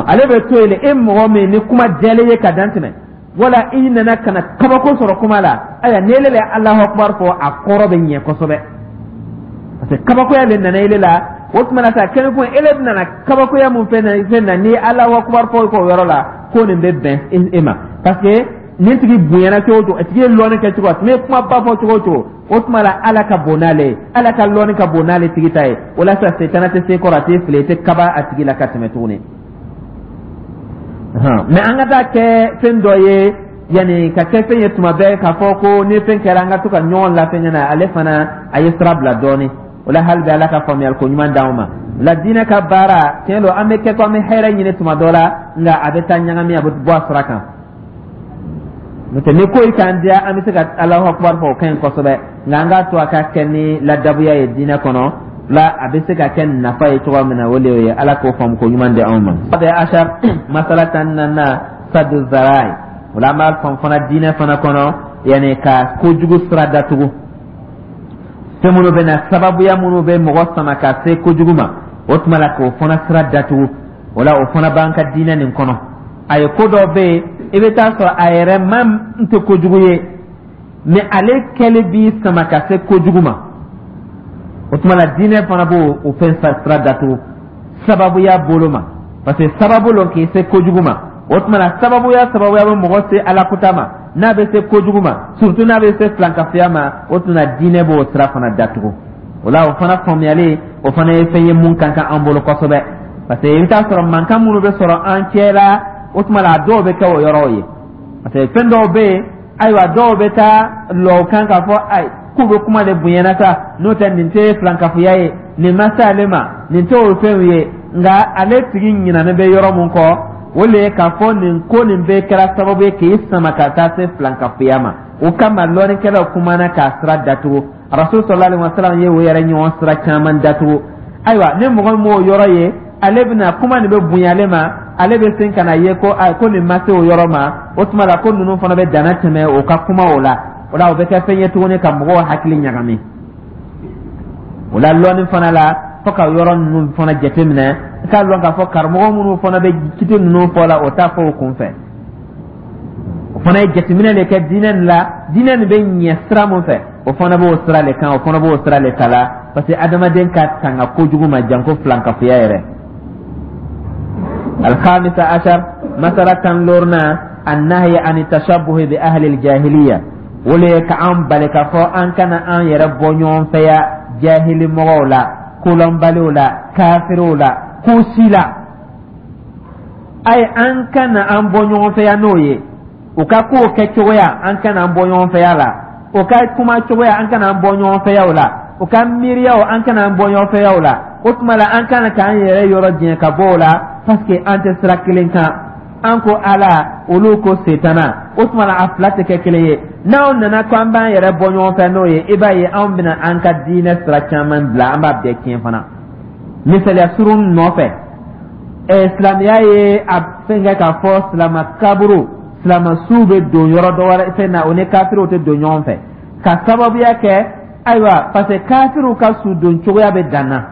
[SPEAKER 1] Ale bɛ to yen le. E mɔgɔ min ni kuma diyalen ye ka dan tɛmɛ, wala i nana ka na kabako sɔrɔ kuma la, ayiwa, ni ele le Alahu akubar fɔ, a kɔrɔ bɛ ɲɛ kosɛbɛ, parce que kabakoya le nana ele la. O tuma na sa, kɛnɛ kun ele nana kabakoya mun fɛn na, ni Alahu akubar fɔ k'o yɔrɔ la, ko nin bɛ bɛn e ma, parce que nin tigi bonyana cogo o cogo, a tigi ye lɔnni kɛ cogo, a tun bɛ kumaba fɔ cogo o cogo, o tuma la Ala ka bon n'ale ye, Ala ka lɔnni ka bon n'ale tigi ta ye. O la sa, setana tɛ se kɔrɔ, a tɛ fili, i tɛ kaba a tigi la ka tɛmɛ tuguni. Mais an ka taa kɛ fɛn dɔ ye, yanni ka kɛ fɛn ye tuma bɛɛ k'a fɔ ko ni fɛn kɛra, an ka to ka ɲɔgɔn lafɛn ɲɛna, ale fana a ye sira bila dɔɔni. O la, hali bi Ala ka faamuyali ko ɲuman d'anw ma. La diinɛ ka baara tiɲɛ don, an bɛ kɛ ko an bɛ hɛrɛ ɲini tuma dɔ la, nka a bɛ taa ɲagami, a bɛ bɔ a sira kan. N'o tɛ, ni ko yi k'an diya, an bɛ se ka Alahu akubar fɔ, o ka ɲi kosɛbɛ. Nka an k'a to a ka kɛ ni ladabuya ye diinɛ kɔnɔ la, a bɛ se ka kɛ nafa ye cogoya min na, o de ye. Ala k'o faamu ko ɲuman di anw ma. Ashar, masala 14nan, sadu zarai. O la, an b'a faamu fana diinɛ fana kɔnɔ, yanni ka kojugu sira datugu, fɛn minnu bɛ na, sababuya minnu bɛ mɔgɔ sama ka se kojugu ma, o tuma la k'o fana sira datugu. O la, o fana b'an ka diinɛ nin kɔnɔ. A ye ko dɔ bɛ yen, i bɛ taa sɔrɔ a yɛrɛ ma tɛ kojugu ye, mais ale kɛli b'i sama ka se kojugu ma. O tuma la, diinɛ fana b'o o fɛn sira datugu sababuya bolo ma, parce que sababu lon k'i se kojugu ma. O tuma la, sababuya bɛ mɔgɔ se Alakuta ma, n'a bɛ se kojugu ma, surtout n'a bɛ se filankafoya ma, o tuma diinɛ b'o sira fana datugu. O la, o fana faamuyali, o fana ye fɛn ye mun kan ka an bolo kosɛbɛ, parce que i bɛ taa sɔrɔ mankan minnu bɛ sɔrɔ an cɛ la, o tuma la a dɔw bɛ kɛ o yɔrɔw ye, parce que fɛn dɔw bɛ yen, ayiwa, dɔw bɛ taa lɔ o kan k'a fɔ ayi, k'u bɛ kuma de bonyana sa, n'o tɛ nin tɛ filankafoya ye, nin ma se ale ma, nin tɛ o fɛnw ye. Nka ale tigi ɲinalen bɛ yɔrɔ mun kɔ, o le ye k'a fɔ nin ko nin bɛɛ kɛra sababu ye k'i sama ka taa se filankafoya ma. O kama, lɔnnikɛlaw kumana k'a sira datugu. Rasul sallallahu alaihi wasallam ye o yɛrɛ ɲɔgɔn sira caman datugu. Ayiwa, ni mɔgɔ min m'o yɔrɔ ye, ale bɛna kuma nin bɛ bonya ale ma, ale bɛ sen ka na ye ko nin ma se o yɔrɔ ma. O tuma la, ko ninnu fana bɛ danna tɛmɛ o ka kuma o la. O la, o bɛ kɛ fɛn ye tuguni ka mɔgɔw hakili ɲagami. O la, lɔnni fana la, fo ka yɔrɔ ninnu fana jateminɛ, i k'a lɔn k'a fɔ karamɔgɔ minnu fana bɛ kiti ninnu fɔ la, o t'a fɔ o kun fɛ. O fana ye jateminɛ de kɛ diinɛ nin la, diinɛ nin bɛ ɲɛ sira mun fɛ, o fana b'o sira le kan, o fana b'o sira le ta la, parce que adamaden ka tanga kojugu ma, janko filankafoya yɛrɛ. الخامس عشر، مسألة 15nan، النهي عن التشبه بأهل الجاهلية. O le ka an bali k'a fɔ an kana an yɛrɛ bɔ ɲɔgɔn fɛ ya jahili mɔgɔw la, kolɔnbaliw la, kafiriw la, ko si la. Ayi, an kana an bɔ ɲɔgɔn fɛ ya n'o ye. U ka kow kɛ cogoya, an kana an bɔ ɲɔgɔn fɛ ya la. U ka kuma cogoya, an kana an bɔ ɲɔgɔn fɛ ya o la. U ka miiriyaw, an kana an bɔ ɲɔgɔn fɛ ya o la. O tuma la, an kana k'an yɛrɛ yɔrɔ jɛn ka bɔ o la, parce que an tɛ sira kelen kan. An ko Ala, olu ko Setana. O tuma la, a fila tɛ kɛ kelen ye. N'anw nana ko an b'an yɛrɛ bɔ ɲɔgɔn fɛ n'o ye, i b'a ye anw bɛna an ka diinɛ sira caman bila, an b'a bɛɛ tiɲɛ fana. Misaliya surun nɔfɛ, silamɛya ye a fɛn kɛ k'a fɔ silama kaburu. Silamɛsuw bɛ don yɔrɔ dɔ wɛrɛ fɛn na, o ni kafiriw tɛ don ɲɔgɔn fɛ, ka sababuya kɛ ayiwa, parce que kafiriw ka su don cogoya bɛ dan na.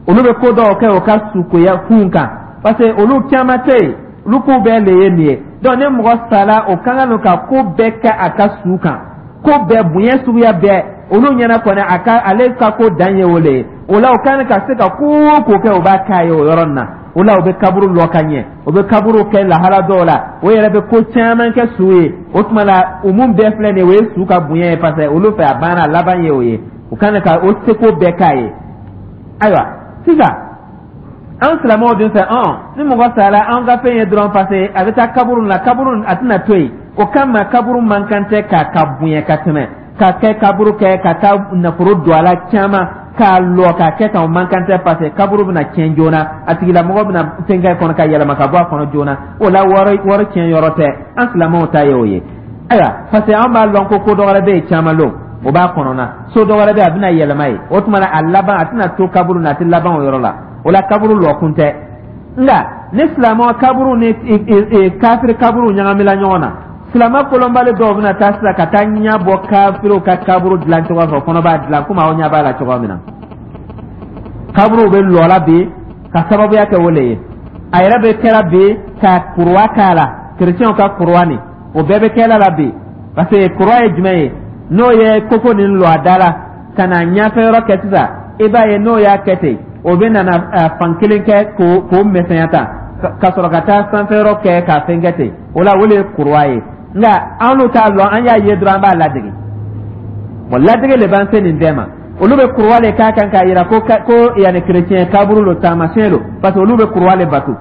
[SPEAKER 1] Olu bɛ ko dɔw kɛ o ka sukoya kun kan, parce que olu caman tɛ yen, olu ko bɛɛ le ye nin ye. Donc ni mɔgɔ sala, o ka kan ka ko bɛɛ kɛ a ka su kan, ko bɛɛ, bonya suguya bɛɛ. Olu ɲɛna kɔni, a ka ale ka ko dan ye o le ye. O la, o kan ka se ka ko o ko kɛ, o b'a k'a ye o yɔrɔ nin na. O la, o bɛ kaburu lɔ ka ɲɛ, o bɛ kaburu kɛ lahala dɔw la, o yɛrɛ bɛ ko caman kɛ su ye. O tuma la, o mun bɛɛ filɛ nin ye, o ye su ka bonya ye, parce que olu fɛ, a banna, a laban ye o ye. O kan ka o seko bɛɛ k'a ye. Ayiwa, sisan an silamɛw dun fɛ, ɔn ni mɔgɔ sara, an ka fɛn ye dɔrɔn, parce que a bɛ taa kaburu la, kaburu a tɛna to yen. O kama, kaburu man kan tɛ k'a ka bonya ka tɛmɛ ka kɛ kaburu kɛ ka taa nafolo don a la caman, k'a lɔ k'a kɛ tan, o man kan tɛ, parce que kaburu bɛna tiɲɛ joona, a tigilamɔgɔ bɛna fɛn kɛ kɔnɔ ka yɛlɛma ka bɔ a kɔnɔ joona. O la, wari tiɲɛ yɔrɔ tɛ. An silamɛw ta ye o ye. Ayiwa, parce que an b'a lɔn ko dɔ wɛrɛ bɛ yen caman lon o b'a kɔnɔna, so dɔ wɛrɛ bɛ yen, a bɛna yɛlɛma ye. O tuma na, a laban, a tɛna to kaburu na, a tɛ laban o yɔrɔ la. O la, kaburu lɔkun tɛ. Nka ni silamɛ kaburu ni kafiri kaburu ɲagamila ɲɔgɔn na, silamɛ kolonbali dɔw bɛna taa sisan ka taa ɲɛ bɔ kafiriw ka kaburu dilan cogo fɛ, o fana b'a dilan komi aw ɲɛ b'a la cogo min na. Kaburuw bɛ lɔ la bi ka sababuya kɛ o le ye. A yɛrɛ bɛ kɛra bi ka kuruwa k'a la, kerecɛnw ka kuruwa nin, o bɛɛ bɛ kɛla la bi. Parce que kuruwa ye jumɛn ye? N'o ye koko nin lɔ a da la ka na ɲɛfɛ yɔrɔ kɛ sisan, i b'a ye n'o y'a kɛ ten, o bɛ nana fan kelen kɛ k'o misɛnya tan, ka sɔrɔ ka taa sanfɛ yɔrɔ kɛ k'a fɛn kɛ ten. O la, o de ye kuruwa ye. Nka an n'u t'a lɔn, an y'a ye dɔrɔn, an b'a ladege. Bon, ladege le b'an se nin bɛɛ ma. Olu bɛ kuruwa le k'a kan k'a yira ko yanni kerecɛn kaburu lo, taamasiyɛn lo, parce que olu bɛ kuruwa le bato,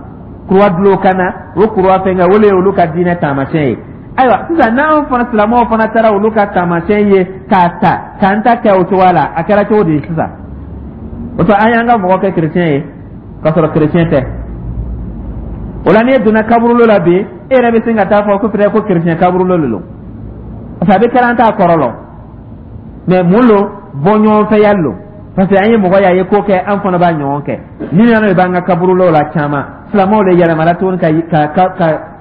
[SPEAKER 1] kuruwa dulon kan na, o kuruwa fɛnkɛ, o le ye olu ka diinɛ taamasiyɛn ye. Ayiwa, sisan n'anw fana silamɛw fana taara olu ka taamasiyɛn ye k'a ta k'an ta kɛ o cogoya la, a kɛra cogo di sisan? O to an y'an ka mɔgɔ kɛ kerecɛn ye k'a sɔrɔ kerecɛn tɛ. O la, n'e donna kaburulo la bi, e yɛrɛ bɛ sin ka taa fɔ ko peut-être ko kerecɛn kaburulo de don, parce que a bɛ kɛra an t'a kɔrɔ lɔn. Mais mun lo? Bɔ ɲɔgɔnfɛya lo, parce que an ye mɔgɔ ye, a ye ko kɛ, an fana b'a ɲɔgɔn kɛ. Ni nana de b'an ka kaburulo la caman, silamɛw de yɛlɛmala tuguni ka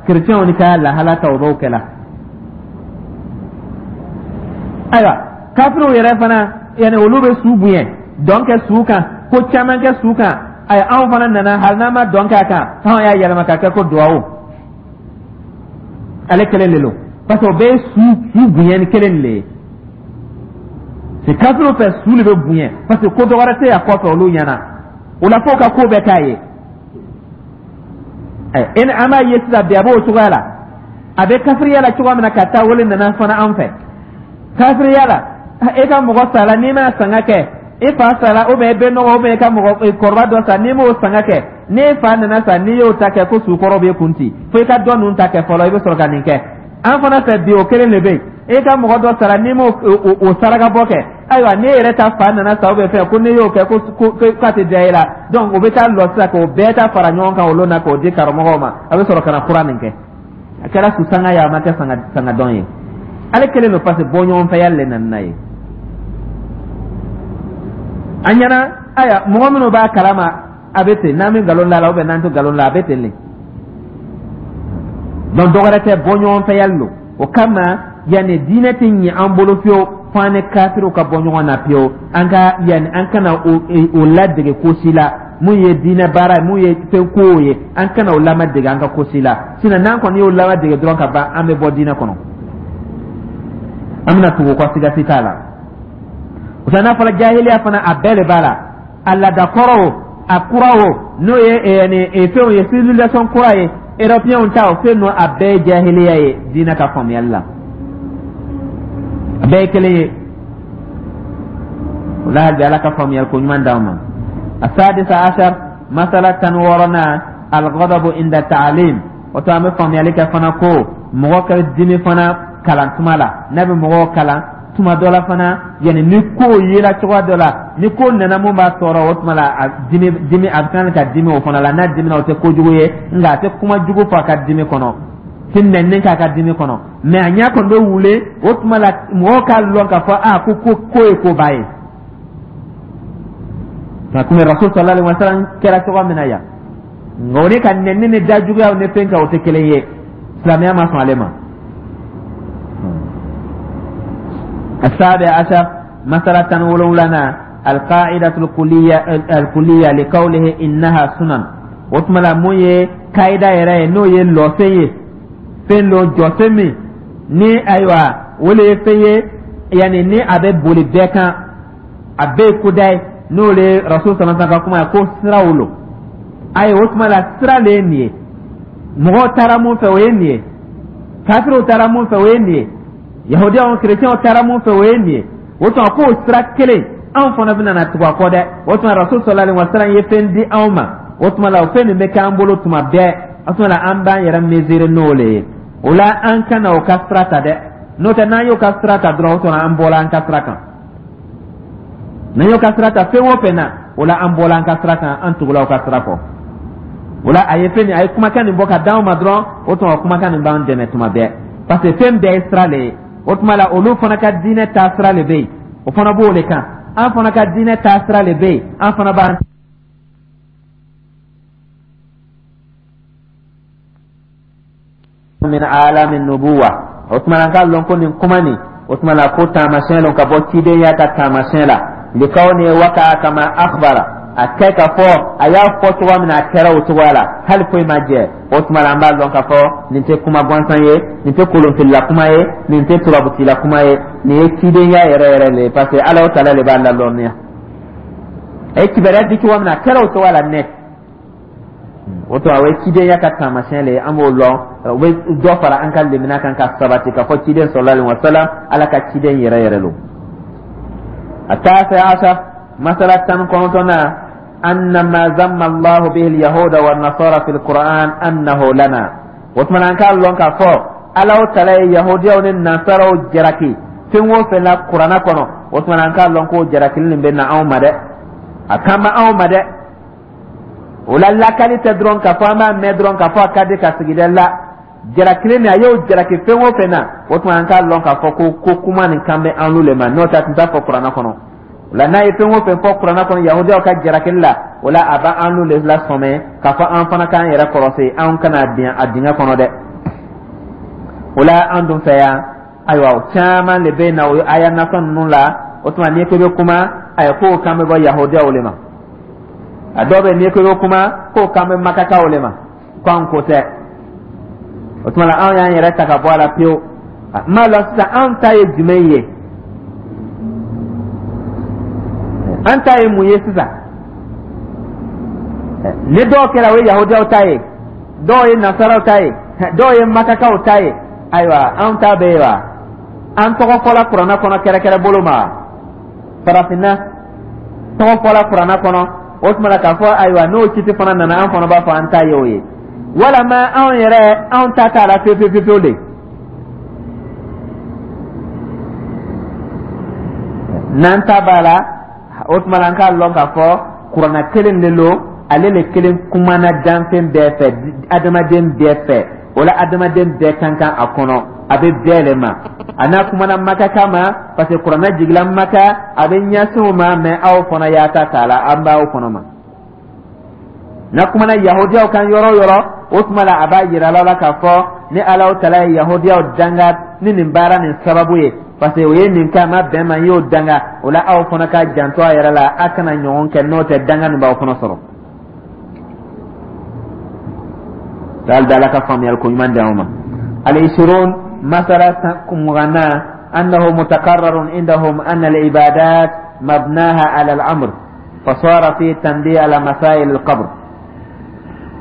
[SPEAKER 1] kerecɛnw ni ka lahala ta, o b'o kɛ la. Ayiwa, kafiriw yɛrɛ fana, yanni olu bɛ su bonya, dɔn kɛ su kan, ko caman kɛ su kan. Ayi, anw fana nana, hali n'an ma dɔn k'a kan, anw y'a yɛlɛma ka kɛ ko duwawu. Ale kelen de don, parce que o bɛɛ ye su bonya ni kelen de ye. C'est kafiriw fɛ, su de bɛ bonya, parce que ko dɔ wɛrɛ tɛ yan kɔfɛ olu ɲɛna. O la, f'o ka ko bɛɛ k'a ye. E ni an b'a ye sisan bi, a b'o cogoya la. A bɛ kafiriya la cogoya min na ka taa, wele nana fana an fɛ kafiriya la. E ka mɔgɔ sara, n'i ma sanga kɛ, e fa sara, ou bien e bɛ nɔgɔ, ou bien e ka mɔgɔ kɔrɔba dɔ sa, n'i m'o sanga kɛ, n'e fa nana sa, n'i y'o ta kɛ, ko sukɔrɔ b'e kun ci, fo i ka dɔ ninnu ta kɛ fɔlɔ, i bɛ sɔrɔ ka nin kɛ. An fana fɛ bi, o kelen de bɛ yen. E ka mɔgɔ dɔ sara, n'i m'o o saraka bɔ kɛ, ayiwa, n'e yɛrɛ ta fa nana sa, ou bien fɛn ko n'i y'o kɛ, ko k'a tɛ diya e la. Donc o bɛ taa lɔ sisan k'o bɛɛ ta fara ɲɔgɔn kan olu na, k'o di karamɔgɔw ma, a bɛ sɔrɔ ka na fura nin kɛ. A kɛra su sanga ye, a ma kɛ sanga dɔn ye, ale kelen don, parce que bɔ ɲɔgɔn fɛya le nana n'a ye an ɲɛna. Ayiwa, mɔgɔ minnu b'a kalama, a bɛ ten, n'an bɛ nkalon da la ou bien n'an tɛ nkalon la, a bɛ ten le. Donc dɔ wɛrɛ tɛ, bɔ ɲɔgɔn fɛya lo. O kama, yanni diinɛ tɛ ɲɛ an bolo fiyewu, fo an ni kafiriw ka bɔ ɲɔgɔn na pewu. An ka yanni an kana o ladege ko si la. Mun ye diinɛ baara ye, mun ye fɛn kow ye, an kana o lamadege an ka ko si la. Sinon n'an kɔni y'o lamadege dɔrɔn ka ban, an bɛ bɔ diinɛ kɔnɔ, an bɛna tugu kɔ, siga si t'a la. O n'a fɔra jahiliya fana, a bɛɛ de b'a la, a laadakɔrɔ o, a kura o, n'o ye fɛnw ye, civilisation kura ye, européens ta o fɛn ninnu, a bɛɛ ye jahiliya ye diinɛ ka faamuyali la, a bɛɛ ye kelen ye. O la, hali bi Ala ka faamuyali ko ɲuman d'anw ma. السادس عشر masala 16nan الغضب عند التعليم. O to an bɛ faamuyali kɛ fana ko mɔgɔ ka dimi fana kalan tuma la, n'a bɛ mɔgɔw kalan tuma dɔ la fana, yanni ni ko yela cogoya dɔ la, ni ko nana mun b'a tɔɔrɔ, o tuma la a dimi dimi, a bɛ kan ka dimi o fana la. N'a dimina, o tɛ kojugu ye, nka a tɛ kuma jugu fɔ a ka dimi kɔnɔ, tɛ nɛni k'a ka dimi kɔnɔ, mais a ɲɛ kɔni bɛ wule. O tuma la, mɔgɔw k'a lɔn k'a fɔ a ko ye koba ye, nka komi Rasul صلى الله عليه وسلم kɛra cogo min na yan. Nka o ni ka nɛni ni dajuguyaw ni fɛn kɛ, o tɛ kelen ye. Silamɛya ma sɔn ale ma. السابع عشر مسألة 17 القاعدة الكلية لقوله إنها سنن. O tuma la, mun ye kayida yɛrɛ ye, n'o ye lɔsen ye, fɛn dɔ jɔsen min ni ayiwa o le ye fɛn ye, yanni ni a bɛ boli bɛɛ kan, a bɛɛ ye koda ye, n'o le ye Rasul sallallahu ka kuma ye ko siraw lo. Ayi, o tuma la, sira le ye nin ye. Mɔgɔw taara mun fɛ, o ye nin ye. Kafiriw taara mun fɛ, o ye nin ye. Yahudiyaw, kerecɛnw taara mun fɛ, o ye nin ye. O tuma k'o sira kelen, anw fana bɛna na tugu a kɔ dɛ. O tuma Rasul sallallahu alaihi wasallam ye fɛn di anw ma. O tuma la, o fɛn nin bɛ k'an bolo tuma bɛɛ. O tuma la, an b'an yɛrɛ mesurer n'o le ye. O la, an kana o ka sira ta dɛ. N'o tɛ, n'an y'o ka sira ta dɔrɔn, o tuma an bɔla an ka sira kan. N'an y'o ka sira ta fɛn o fɛn na, o la an bɔla an ka sira kan, an tugula o ka sira kɔ. O la, a ye fɛn nin, a ye kumakan nin bɔ ka d'anw ma dɔrɔn, o tuma kumakan nin b'an dɛmɛ tuma bɛɛ, parce que fɛn bɛɛ ye sira le ye. O tuma la, olu fana ka diinɛ taa sira le bɛ yen, o fana b'o de kan. An fana ka diinɛ taa sira le bɛ yen, an fana b'an min alami nubuwa. O tuma na, an k'a lɔn ko nin kuma nin, o tuma na ko taamasiyɛn lon ka bɔ cidenya ka taamasiyɛn la. Likawni waka kama akhbara, a kɛ ka fɔ a y'a fɔ cogoya min na, a kɛra o cogoya la, hali foyi ma jɛ. O tuma la, an b'a lɔn k'a fɔ nin tɛ kuma gansan ye, nin tɛ kolonfilila kuma ye, nin tɛ turabutila kuma ye, nin ye cidenya yɛrɛ yɛrɛ le ye, parce que Ala taala le b'a lalɔnniya. A ye kibaruya di cogoya min na, a kɛra o cogoya la nɛ. O to, o ye cidenya ka taamasiyɛn le ye, an b'o lɔn. O bɛ dɔ fara an ka lemina kan ka sabati k'a fɔ ciden sallallahu alaihi wasallam, Ala ka ciden yɛrɛ yɛrɛ lo. التاسع عشر مسألة 19 أن ما ذم الله به اليهود والنصارى في القرآن أنه لنا. O tuma an k'a lɔn k'a fɔ Ala tala ye yahudiyaw ni nasaraw jalaki fɛn o fɛn la kuranna kɔnɔ, o tuma an k'a lɔn k'o jalakili nin bɛ na anw ma dɛ, a kan bɛ anw ma dɛ. O la, lakali tɛ dɔrɔn k'a fɔ an b'a mɛn dɔrɔn k'a fɔ a ka di ka sigi dɛ. La jalakili nin, a y'o jalaki fɛn o fɛn na, o tuma an k'a lɔn k'a fɔ ko kuma nin kan bɛ an le ma. N'o tɛ, a tun t'a fɔ kuranna kɔnɔ. O la, n'a ye fɛn o fɛn fɔ kuranna kɔnɔ yahudiyaw ka jalakili la, o la a b'an le lasɔmɛ k'a fɔ an fana k'an yɛrɛ kɔlɔsi, an kana bin a dingɛ kɔnɔ dɛ. O la, an dun fɛ yan, ayiwa, o caman de bɛ na o aya nasɔn ninnu la. O tuma n'i ko i bɛ kuma, ayiwa, k'o kan bɛ bɔ yahudiyaw le ma. A dɔw bɛ, n'i ko i bɛ kuma, k'o kan bɛ makakaw le ma, ko an ko tɛ. O tuma la, anw y'an yɛrɛ ta ka bɔ a la pewu. N m'a lɔn sisan, anw ta ye jumɛn ye? An ta ye mun ye sisan? Ni dɔw kɛra, o ye yahudiyaw ta ye, dɔw ye nasaraw ta ye, dɔw ye makakaw ta ye. Ayiwa, anw ta bɛ yen wa? An tɔgɔ fɔla kuranna kɔnɔ kɛrɛkɛrɛ bolo ma, farafinna tɔgɔ fɔla kuranna kɔnɔ. O tuma la, k'a fɔ ayiwa, n'o kiti fana nana, an fana b'a fɔ an ta ye o ye, walama anw yɛrɛ, anw ta t'a la pewu pewu pewu de. N'an ta b'a la, o tuma la an k'a lɔn k'a fɔ kuranna kelen de lo, ale le kelen kumana danfɛn bɛɛ fɛ, adamaden bɛɛ fɛ. O la, adamaden bɛɛ kan kan a kɔnɔ, a bɛ bɛɛ le ma. A n'a kumana makaka ma, parce que kuranna jigila Maka, a bɛ ɲɛsin o ma, mais aw fana y'a ta t'a la, an b'aw fana ma. N'a kumana yahudiyaw kan yɔrɔ o yɔrɔ, o tuma la a b'a yira la k'a fɔ ni Alahu tala ye yahudiyaw danga ni nin baara nin sababu ye, parce que o ye nin kɛ, a ma bɛn ma, n y'o danga. O la, aw fana ka janto a yɛrɛ la, a kana ɲɔgɔn kɛ, n'o tɛ danga nin b'aw fana sɔrɔ. Hali Ala ka faamuyali ko ɲuman di anw ma. Al-ishirun masala 20nan annahu mutakarrarun indahum anna al-ibadat mabnaha ala al-amr fasara fi tanbih ala masail al-qabr.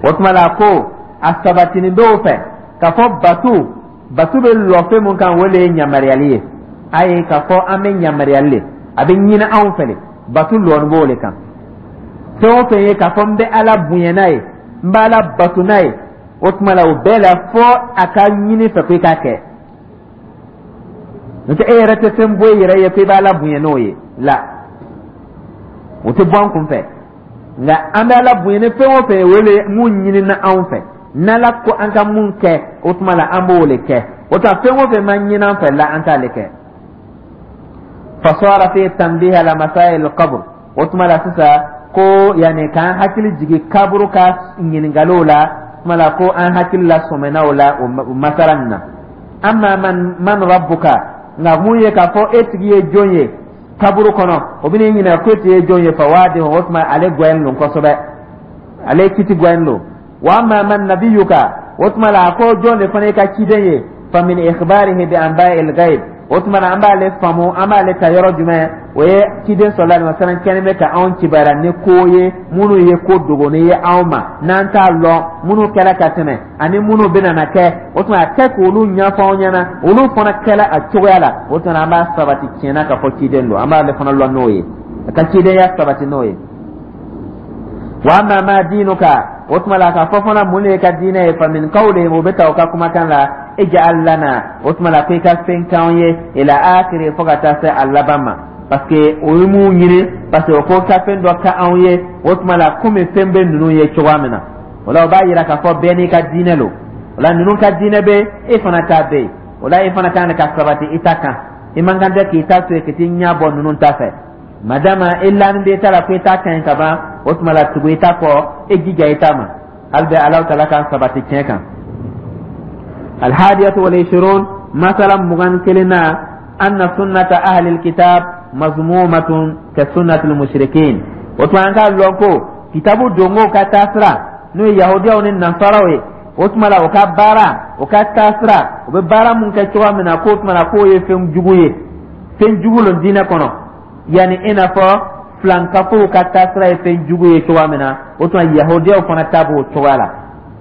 [SPEAKER 1] O tuma la, ko a sabatinin b'o fɛ k'a fɔ batu bɛ lɔ fɛn mun kan, o le ye yamaruyali ye. A ye k'a fɔ an bɛ yamaruyali le, a bɛ ɲini anw fɛ le, batu lɔni b'o le kan. Fɛn o fɛn ye k'a fɔ n bɛ Ala bonya n'a ye, n bɛ Ala bato n'a ye, o tuma la o bɛɛ la fo a ka ɲini fɛ ko i k'a kɛ. N'o tɛ, e yɛrɛ tɛ fɛn bɔ i yɛrɛ ye ko i bɛ Ala bonya n'o ye la, o tɛ bɔ an kun fɛ. Nka an bɛ Ala bonya ni fɛn o fɛn ye, o le mun ɲinina anw fɛ. N'Ala ko an ka mun kɛ, o tuma la an b'o le kɛ. O tuma fɛn o fɛn ma ɲini an fɛ la, an t'ale kɛ. Fasara fi tanbih ala masail al-qabr. O tuma la sisan ko yanni k'an hakili jigin kaburu ka ɲininkaliw la. Tuma la ko an hakili la sɔmɛna o la, o masala nin na. Amma man rabbuka, nka mun ye k'a fɔ e tigi ye jɔn ye kaburu kɔnɔ, o bɛn'i ɲininka ko e tigi ye jɔn ye, fa waadi, o tuma ale gwɛn don kosɛbɛ, ale kiti gwɛn don. Wa amma man nabiyuka, o tuma la a ko jɔn de fana ye ka ciden ye, fa min ikhbarihi bi anba'il ghaib. O tuma na an b'ale faamu, an b'ale ta yɔrɔ jumɛn? O ye ciden sallallahu alaihi wasallam kɛlen bɛ ka anw kibaruya ni ko ye minnu ye ko dogonnen ye anw ma n'an t'a lɔn, minnu kɛra ka tɛmɛ ani minnu bɛna na kɛ. O tuma a kɛ k'olu ɲɛfɔ anw ɲɛna, olu fana kɛla a cogoya la. O tuma an b'a sabati tiɲɛna k'a fɔ ciden don, an b'ale fana lɔn n'o ye, a ka cidenya sabati n'o ye. Wa amma ma dinuka, o tuma la k'a fɔ fana mun de ye ka diinɛ ye, fa min qawlihim, o bɛ ta o ka kumakan la, ij'al lana, o tuma la ko i ka fɛn k'anw ye, ila akhiri, fo ka taa se a laban ma. Parce que o ye mun ɲini? Parce que o ko ka fɛn dɔ ka anw ye. O tuma la komi fɛn bɛ ninnu ye cogoya min na, o la o b'a yira k'a fɔ bɛɛ n'i ka diinɛ lo. O la ninnu ka diinɛ bɛ, e fana ta bɛ yen. O la e fana kan ka sabati i ta kan, i man kan tɛ k'i ta to yen ka t'i ɲɛ bɔ ninnu ta fɛ. Madama i lanin bɛ ta la ko i ta ka ɲi ka ban, o tuma la tugu i ta kɔ, e jija i ta ma. Hali bɛ Alahu taala k'an sabati tiɲɛ kan. Alhadiyatu wal ishirun, masala 21 na, anna sunnata ahli alkitab mazmumatun ka sunnati almushrikin. O tuma an k'a lɔn ko kitabu dongo ka taasira, n'o ye yahudiyaw ni nasaraw ye, o tuma la o ka baara, o ka taasira, o bɛ baara mun kɛ cogoya min na, k'o tuma la k'o ye fɛn jugu ye, fɛn jugu lon diinɛ kɔnɔ. Yani i n'a fɔ filankafow ka taasira ye fɛn jugu ye cogoya min na, o tuma yahudiyaw fana ta b'o cogoya la.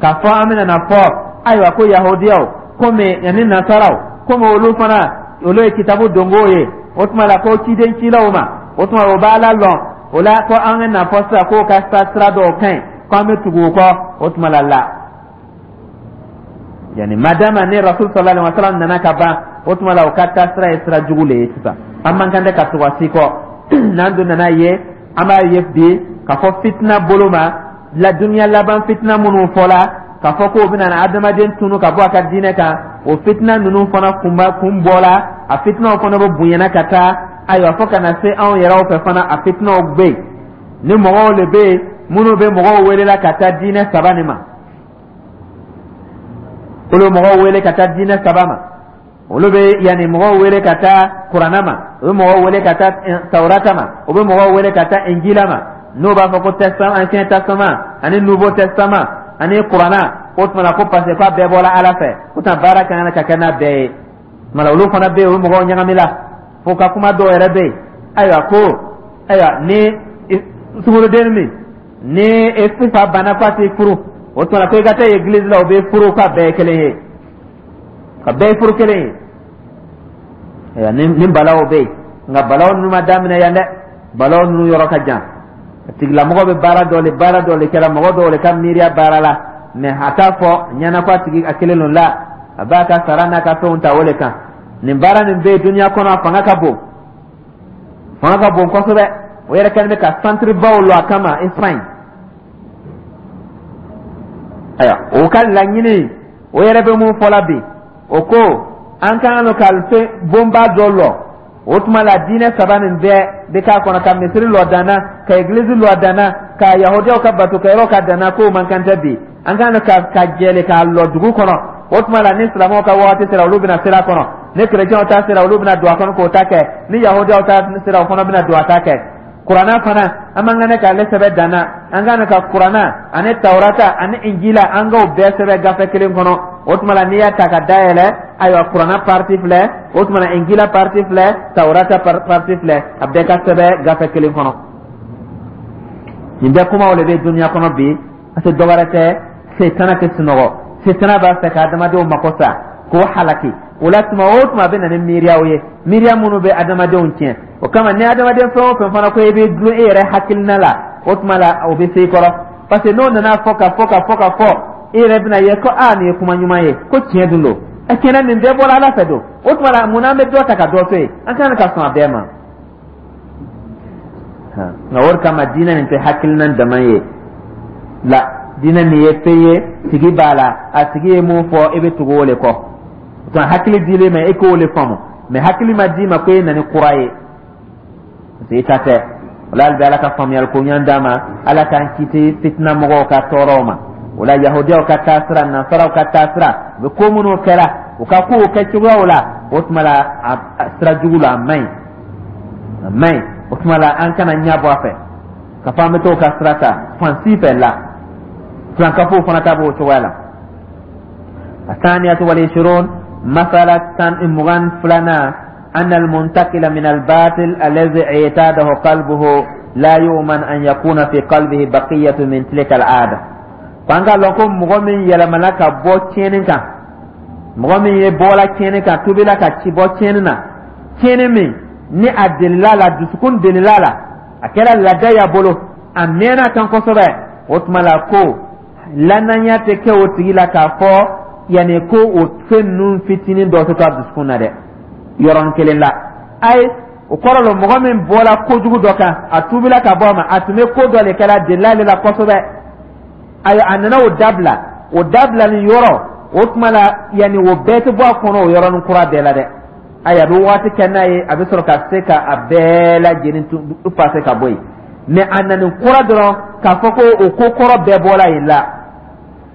[SPEAKER 1] K'a fɔ an bɛna na fɔ ayiwa ko yahudiyaw komi ani nasaraw, komi olu fana olu ye kitabu dongow ye, o tuma la ko ciden cilaw ma, o tuma o b'a la lɔn o la ko an ka na fɔ sisan k'o ka sira dɔw ka ɲi, ko an bɛ tugu o kɔ. O tuma la la yani madama ni Rasul sallallahu alaihi wasallam nana ka ban, o tuma la o ka taa sira ye sira jugu le ye sisan, an man kan tɛ ka tugu a si kɔ. N'an dun nana ye, an b'a ye bi k'a fɔ fitina bolo ma la, duniya laban fitina minnu fɔla k'a fɔ k'o bɛna na adamaden tunu ka bɔ a ka diinɛ kan, o fitina ninnu fana kunba kun bɔla, a fitinaw fana bɛ bonyana ka taa. Ayiwa, fo ka na se anw yɛrɛw fɛ fana, a fitinaw bɛ yen ni mɔgɔw le bɛ yen minnu bɛ mɔgɔw welela ka taa diinɛ saba nin ma. Olu mɔgɔw wele ka taa diinɛ saba ma, olu bɛ yanni mɔgɔw wele ka taa Kuranna ma, u bɛ mɔgɔw wele ka taa Tawurata ma, u bɛ mɔgɔw wele ka taa Injila ma, n'o b'a fɔ ko testament, Ancien Testament ani Nouveau Testament ani Kuranna. O tuma na ko parce que k'a bɛɛ bɔra Ala fɛ, o tuma baara ka kan ka kɛ n'a bɛɛ ye. Tuma na olu fana bɛ yen, u bɛ mɔgɔw ɲagami la fo ka kuma dɔw yɛrɛ bɛ yen. Ayiwa ko ayiwa ni sunguruden min ni e fa banna k'a t'i furu, o tuma ko i ka taa église la, o bɛ furu, k'a bɛɛ ye kelen ye, ka bɛɛ ye furu kelen ye. Ayiwa, ni balaw bɛ yen, nka balaw ninnu ma daminɛ yan dɛ, balaw ninnu yɔrɔ ka jan. A tigilamɔgɔ bɛ baara dɔ le kɛra mɔgɔ dɔw le ka miiriya baara la, mɛ a t'a fɔ ɲɛna ko a tigi a kelen don la, a b'a ka sara n'a ka fɛnw ta o le kan. Nin baara nin bɛ yen duniya kɔnɔ, a fanga ka bon, fanga ka bon kosɛbɛ. O yɛrɛ kɛlen bɛ ka centre baw lɔ a kama Espagne. Ayiwa, o ka laɲini, o yɛrɛ bɛ mun fɔla bi? O ko an ka kan ka fɛn bonba dɔ lɔ. O tuma la diinɛ saba nin bɛɛ bɛ k'a kɔnɔ, ka misiri lɔ danna, ka egilizi lɔ danna, ka yahudiyaw ka batokɛyɔrɔ ka danna, k'o man kan tɛ bi. An kan ka jɛle k'a lɔ dugu kɔnɔ. O tuma la ni silamɛw ka wagati sera, olu bɛna sira kɔnɔ, ni kerecɛnw ta sera, olu bɛna don a kɔnɔ k'o ta kɛ, ni yahudiyaw ta sera, o fana bɛna don a ta kɛ. Kuranna fana, an man kan k'ale sɛbɛn danna, an kan ka Kuranna ani Tawurata ani Injila, an k'o bɛɛ sɛbɛn gafe kelen kɔnɔ. O tuma la n'i y'a ta ka dayɛlɛ, ayiwa, Kuranna partie filɛ, o tuma la Injila partie filɛ, Tawurata partie filɛ, a bɛɛ ka sɛbɛn gafe kelen kɔnɔ. Nin bɛɛ kumaw de bɛ duniya kɔnɔ bi, parce que dɔwɛrɛ tɛ, setana tɛ sunɔgɔ, setana b'a fɛ ka adamadenw mako sa k'o halaki. O la tuma o tuma a bɛ na ni miiriyaw ye, miiriya minnu bɛ adamadenw tiɲɛ. O kama ni adamaden fɛn o fɛn fana ko i bɛ dulon e yɛrɛ hakilina la, o tuma la o bɛ se i kɔrɔ, parce que n'o nana fɔ ka fɔ ka fɔ ka fɔ, e yɛrɛ bɛna ye ko aa, nin ye kuma ɲuman ye, ko tiɲɛ dun don, ɛ tiɲɛna nin bɛɛ bɔra Ala fɛ don. O tuma la mun n'an bɛ dɔ ta ka dɔ to yen? An kan ka sɔn a bɛɛ ma. Nka o de kama diinɛ nin tɛ hakilina dama ye la, diinɛ nin ye fɛn ye, tigi b'a la, a tigi ye mun fɔ, e bɛ tugu o de kɔ. O hakili dilen ma, e k'o de faamu, mɛ hakili ma d'i ma ko e na ni kura ye, parce que i ta tɛ. O la hali bi Ala ka faamuyali ko ɲuman d'a ma, Ala k'an kiti fitina mɔgɔw ka tɔɔrɔw ma. O la, yahudiyaw ka taasira, nasaraw ka taasira, u bɛ ko minnu kɛra, u ka kow kɛ cogoyaw la, o tuma la, a sira jugu la, a man ɲi, a man ɲi. O tuma la, an kana ɲɛ bɔ a fɛ ka fɔ an bɛ t'o ka sira ta fan si fɛ la. Filankafow fana ta b'o cogoya la. الثانية والعشرون، مسألة 22nan، أن المنتقل من الباطل الذي اعتاده قلبه لا يؤمن أن يكون في قلبه بقية من تلك العادة. F'an k'a lɔn ko mɔgɔ min yɛlɛmana ka bɔ tiɲɛni kan, mɔgɔ min ye bɔla tiɲɛni kan, tubila ka ci bɔ tiɲɛni na, tiɲɛni min ni a delila la, dusukun delila la, a kɛra laada y'a bolo, a mɛnna kan kosɛbɛ, o tuma la ko lanaya tɛ kɛ o tigi la k'a fɔ yanni ko o fɛn ninnu fitinin dɔ tɛ to a dusukun na dɛ, yɔrɔnin kelen la. Ayi, o kɔrɔ lo, mɔgɔ min bɔra kojugu dɔ kan, a tubila ka bɔ a ma, a tun bɛ ko dɔ de kɛra, delila ale la kosɛbɛ, ayi, a nana o dabila, o dabilali yɔrɔ, o tuma la, yanni o bɛɛ tɛ bɔ a kɔnɔ o yɔrɔnin kura bɛɛ la dɛ. Ayi, a bɛ waati kɛ n'a ye, a bɛ sɔrɔ ka se ka a bɛɛ lajɛlen fase ka bɔ yen. Mɛ a nani kura dɔrɔn k'a fɔ ko o ko kɔrɔ bɛɛ bɔra yen la,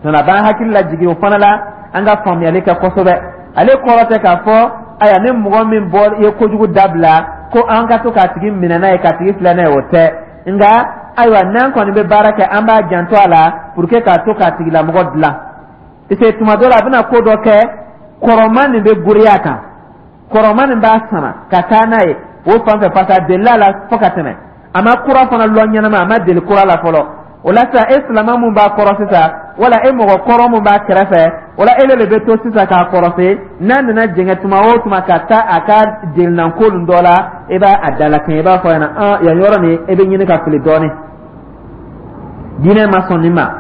[SPEAKER 1] a b'an hakili lajigin o fana la, an ka faamuyali kɛ kosɛbɛ. Ale kɔrɔ tɛ k'a fɔ, ayiwa, ni mɔgɔ min bɔ ye kojugu dabila, ko an ka to k'a tigi minɛ n'a ye, k'a tigi filɛ n'a ye, o tɛ. Nka ayiwa, n'an kɔni bɛ baara kɛ, an b'a janto a la pour que k'a to k'a tigilamɔgɔ dilan, parce que tuma dɔ la, a bɛna ko dɔ kɛ, kɔrɔman nin bɛ goriya kan, kɔrɔman nin b'a sama ka taa n'a ye o fan fɛ, parce que a delila la fo ka tɛmɛ, a ma kura fana lɔ ɲɛnama, a ma deli kura la fɔlɔ. O la sisan, e silama mun b'a kɔrɔ sisan, wala e mɔgɔ kɔrɔ mun b'a kɛrɛfɛ, o la e de bɛ to sisan k'a kɔrɔse. N'a nana jɛngɛ tuma o tuma ka taa a ka delinanko nin dɔ la, e b'a a dalakɛɲɛ, i b'a fɔ a ɲɛna: an yan yɔrɔ nin, e bɛ ɲini ka fili dɔɔnin, diinɛ ma sɔn nin ma.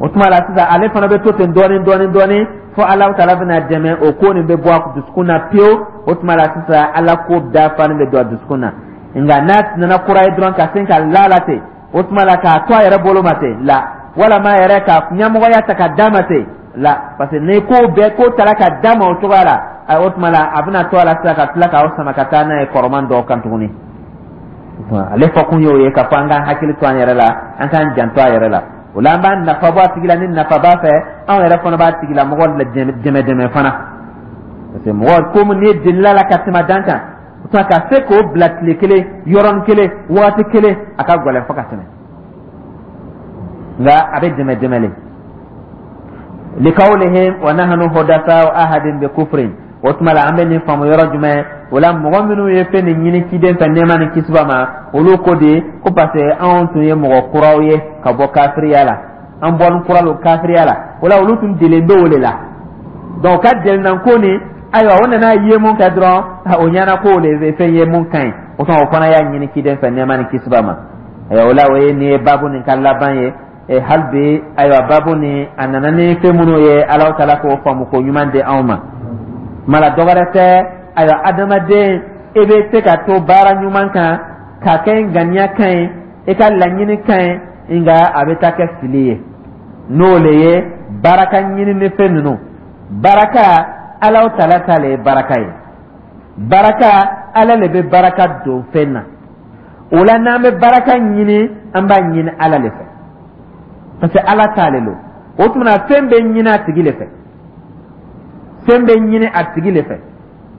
[SPEAKER 1] O tuma la sisan, ale fana bɛ to ten dɔɔnin dɔɔnin dɔɔnin, fo Ala taala bɛna dɛmɛ, o ko nin bɛ bɔ a dusukun na pewu. O tuma la sisan, Ala ko dafalen bɛ don a dusukun na. Nka n'a nana kura ye dɔrɔn, ka sin ka la la ten, o tuma la k'a to a yɛrɛ bolo ma ten la, walama yɛrɛ ka ɲɛmɔgɔya ta ka d'a ma ten la, parce que ni ko bɛɛ ko taara ka d'a ma o cogoya la, o tuma la a bɛna to a la sisan ka tila k'aw sama ka taa n'a ye kɔrɔman dɔw kan tuguni. Ale fɔkun y'o ye, k'a fɔ an k'an hakili to an yɛrɛ la, an k'an janto a yɛrɛ la. O la, an b'a nafa bɔ a tigi la ni nafa b'a fɛ, anw yɛrɛ fana b'a tigilamɔgɔ dɛmɛ dɛmɛ fana, parce que mɔgɔ komi n'i delila la ka tɛmɛ dan kan, o tuma ka se k'o bila tile kelen, yɔrɔnin kelen, waati kelen, a ka gɛlɛn fo ka tɛmɛ, nka a bɛ dɛmɛ dɛmɛ le. Likawlihim wa nahnu hudasa ahadin bi kufrin. O tuma la, an bɛ nin faamu yɔrɔ jumɛn? O la, mɔgɔ minnu ye fɛn nin ɲini ciden fɛ, nɛɛma ni kisi b'a ma, olu ko de ko parce que anw tun ye mɔgɔ kuraw ye ka bɔ kafiriya la, an bɔlen kura don kafiriya la. O la, olu tun delen bɛ o de la. Donc o ka delinanko nin, ayiwa, o nana ye mun kɛ dɔrɔn, o ɲɛna ko o de bɛ fɛn ye mun ka ɲi. O tuma, o fana y'a ɲini ciden fɛ, nɛɛma ni kisi b'a ma. Ayiwa, o la, o ye nin ye baabu nin ka laban ye. Hali bi, ayiwa, baabu nin a nana ni fɛn minnu ye, Ala taala k'o faamu ko ɲuman di anw ma. Mala dɔwɛrɛ tɛ, ayiwa, adamaden, i bɛ se ka to baara ɲuman kan k'a kɛ ŋaniya ka ɲi, i ka laɲini ka ɲi, nka a bɛ taa kɛ fili ye. N'o le ye baraka ɲini ni fɛn ninnu. Baraka, Ala taala ta le ye baraka ye. Baraka, Ala le bɛ baraka don fɛn na. O la, n'an bɛ baraka ɲini, an b'a ɲini Ala le fɛ, parce que Ala t'ale lo. O tuma na, fɛn bɛ ɲini a tigi le fɛ, fɛn bɛ ɲini a tigi le fɛ.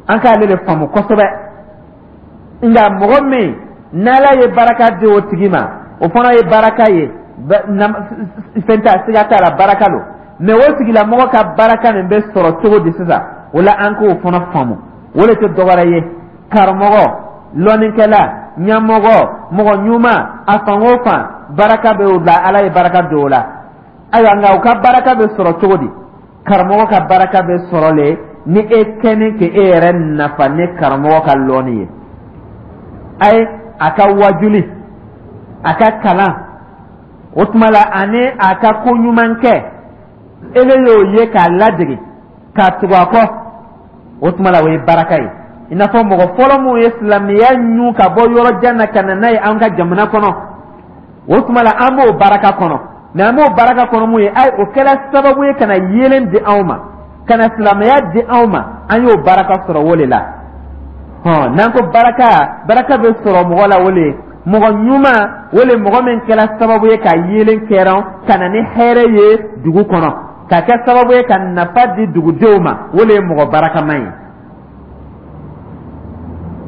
[SPEAKER 1] An k'ale le faamu kosɛbɛ. Nka mɔgɔ min n'Ala ye baraka di o tigi ma, o fana ye baraka ye, fɛn t'a, siga t'a la, baraka lo. Mɛ o tigilamɔgɔ ka baraka nin bɛ sɔrɔ cogo di sisan? O la, an k'o fana faamu. O de tɛ dɔwɛrɛ ye, karamɔgɔ, lɔnnikɛla, ɲɛmɔgɔ, mɔgɔ ɲuman, a fan o fan, baraka bɛ o la, Ala ye baraka don o la. Ayiwa, nka u ka baraka bɛ sɔrɔ cogo di? Karamɔgɔ ka baraka bɛ sɔrɔ le ni e kɛni k'e yɛrɛ nafa ni karamɔgɔ ka lɔnni ye, a ye a ka wajuli, a ka kalan, o tuma la ani a ka ko ɲuman kɛ, ele y'o ye k'a ladege k'a tugu a kɔ, o tuma la o ye baraka ye. I n'a fɔ mɔgɔ fɔlɔ minnu ye silamɛya ɲu ka bɔ yɔrɔ jan na ka na n'a ye an ka jamana kɔnɔ, o tuma la an b'o baraka kɔnɔ. Mɛ an b'o baraka kɔnɔ mun ye? Ayi, o kɛra sababu ye ka na yeelen di anw ma, ka na silamɛya di anw ma, an y'o baraka sɔrɔ o de la. Hɔn, n'an ko baraka, baraka bɛ sɔrɔ mɔgɔ la o le ye. Mɔgɔ ɲuman, o le mɔgɔ min kɛra sababu ye ka yeelen kɛrɛn ka na ni hɛrɛ ye dugu kɔnɔ, ka kɛ sababu ye ka nafa di dugudenw ma, o le ye mɔgɔ barakama ye.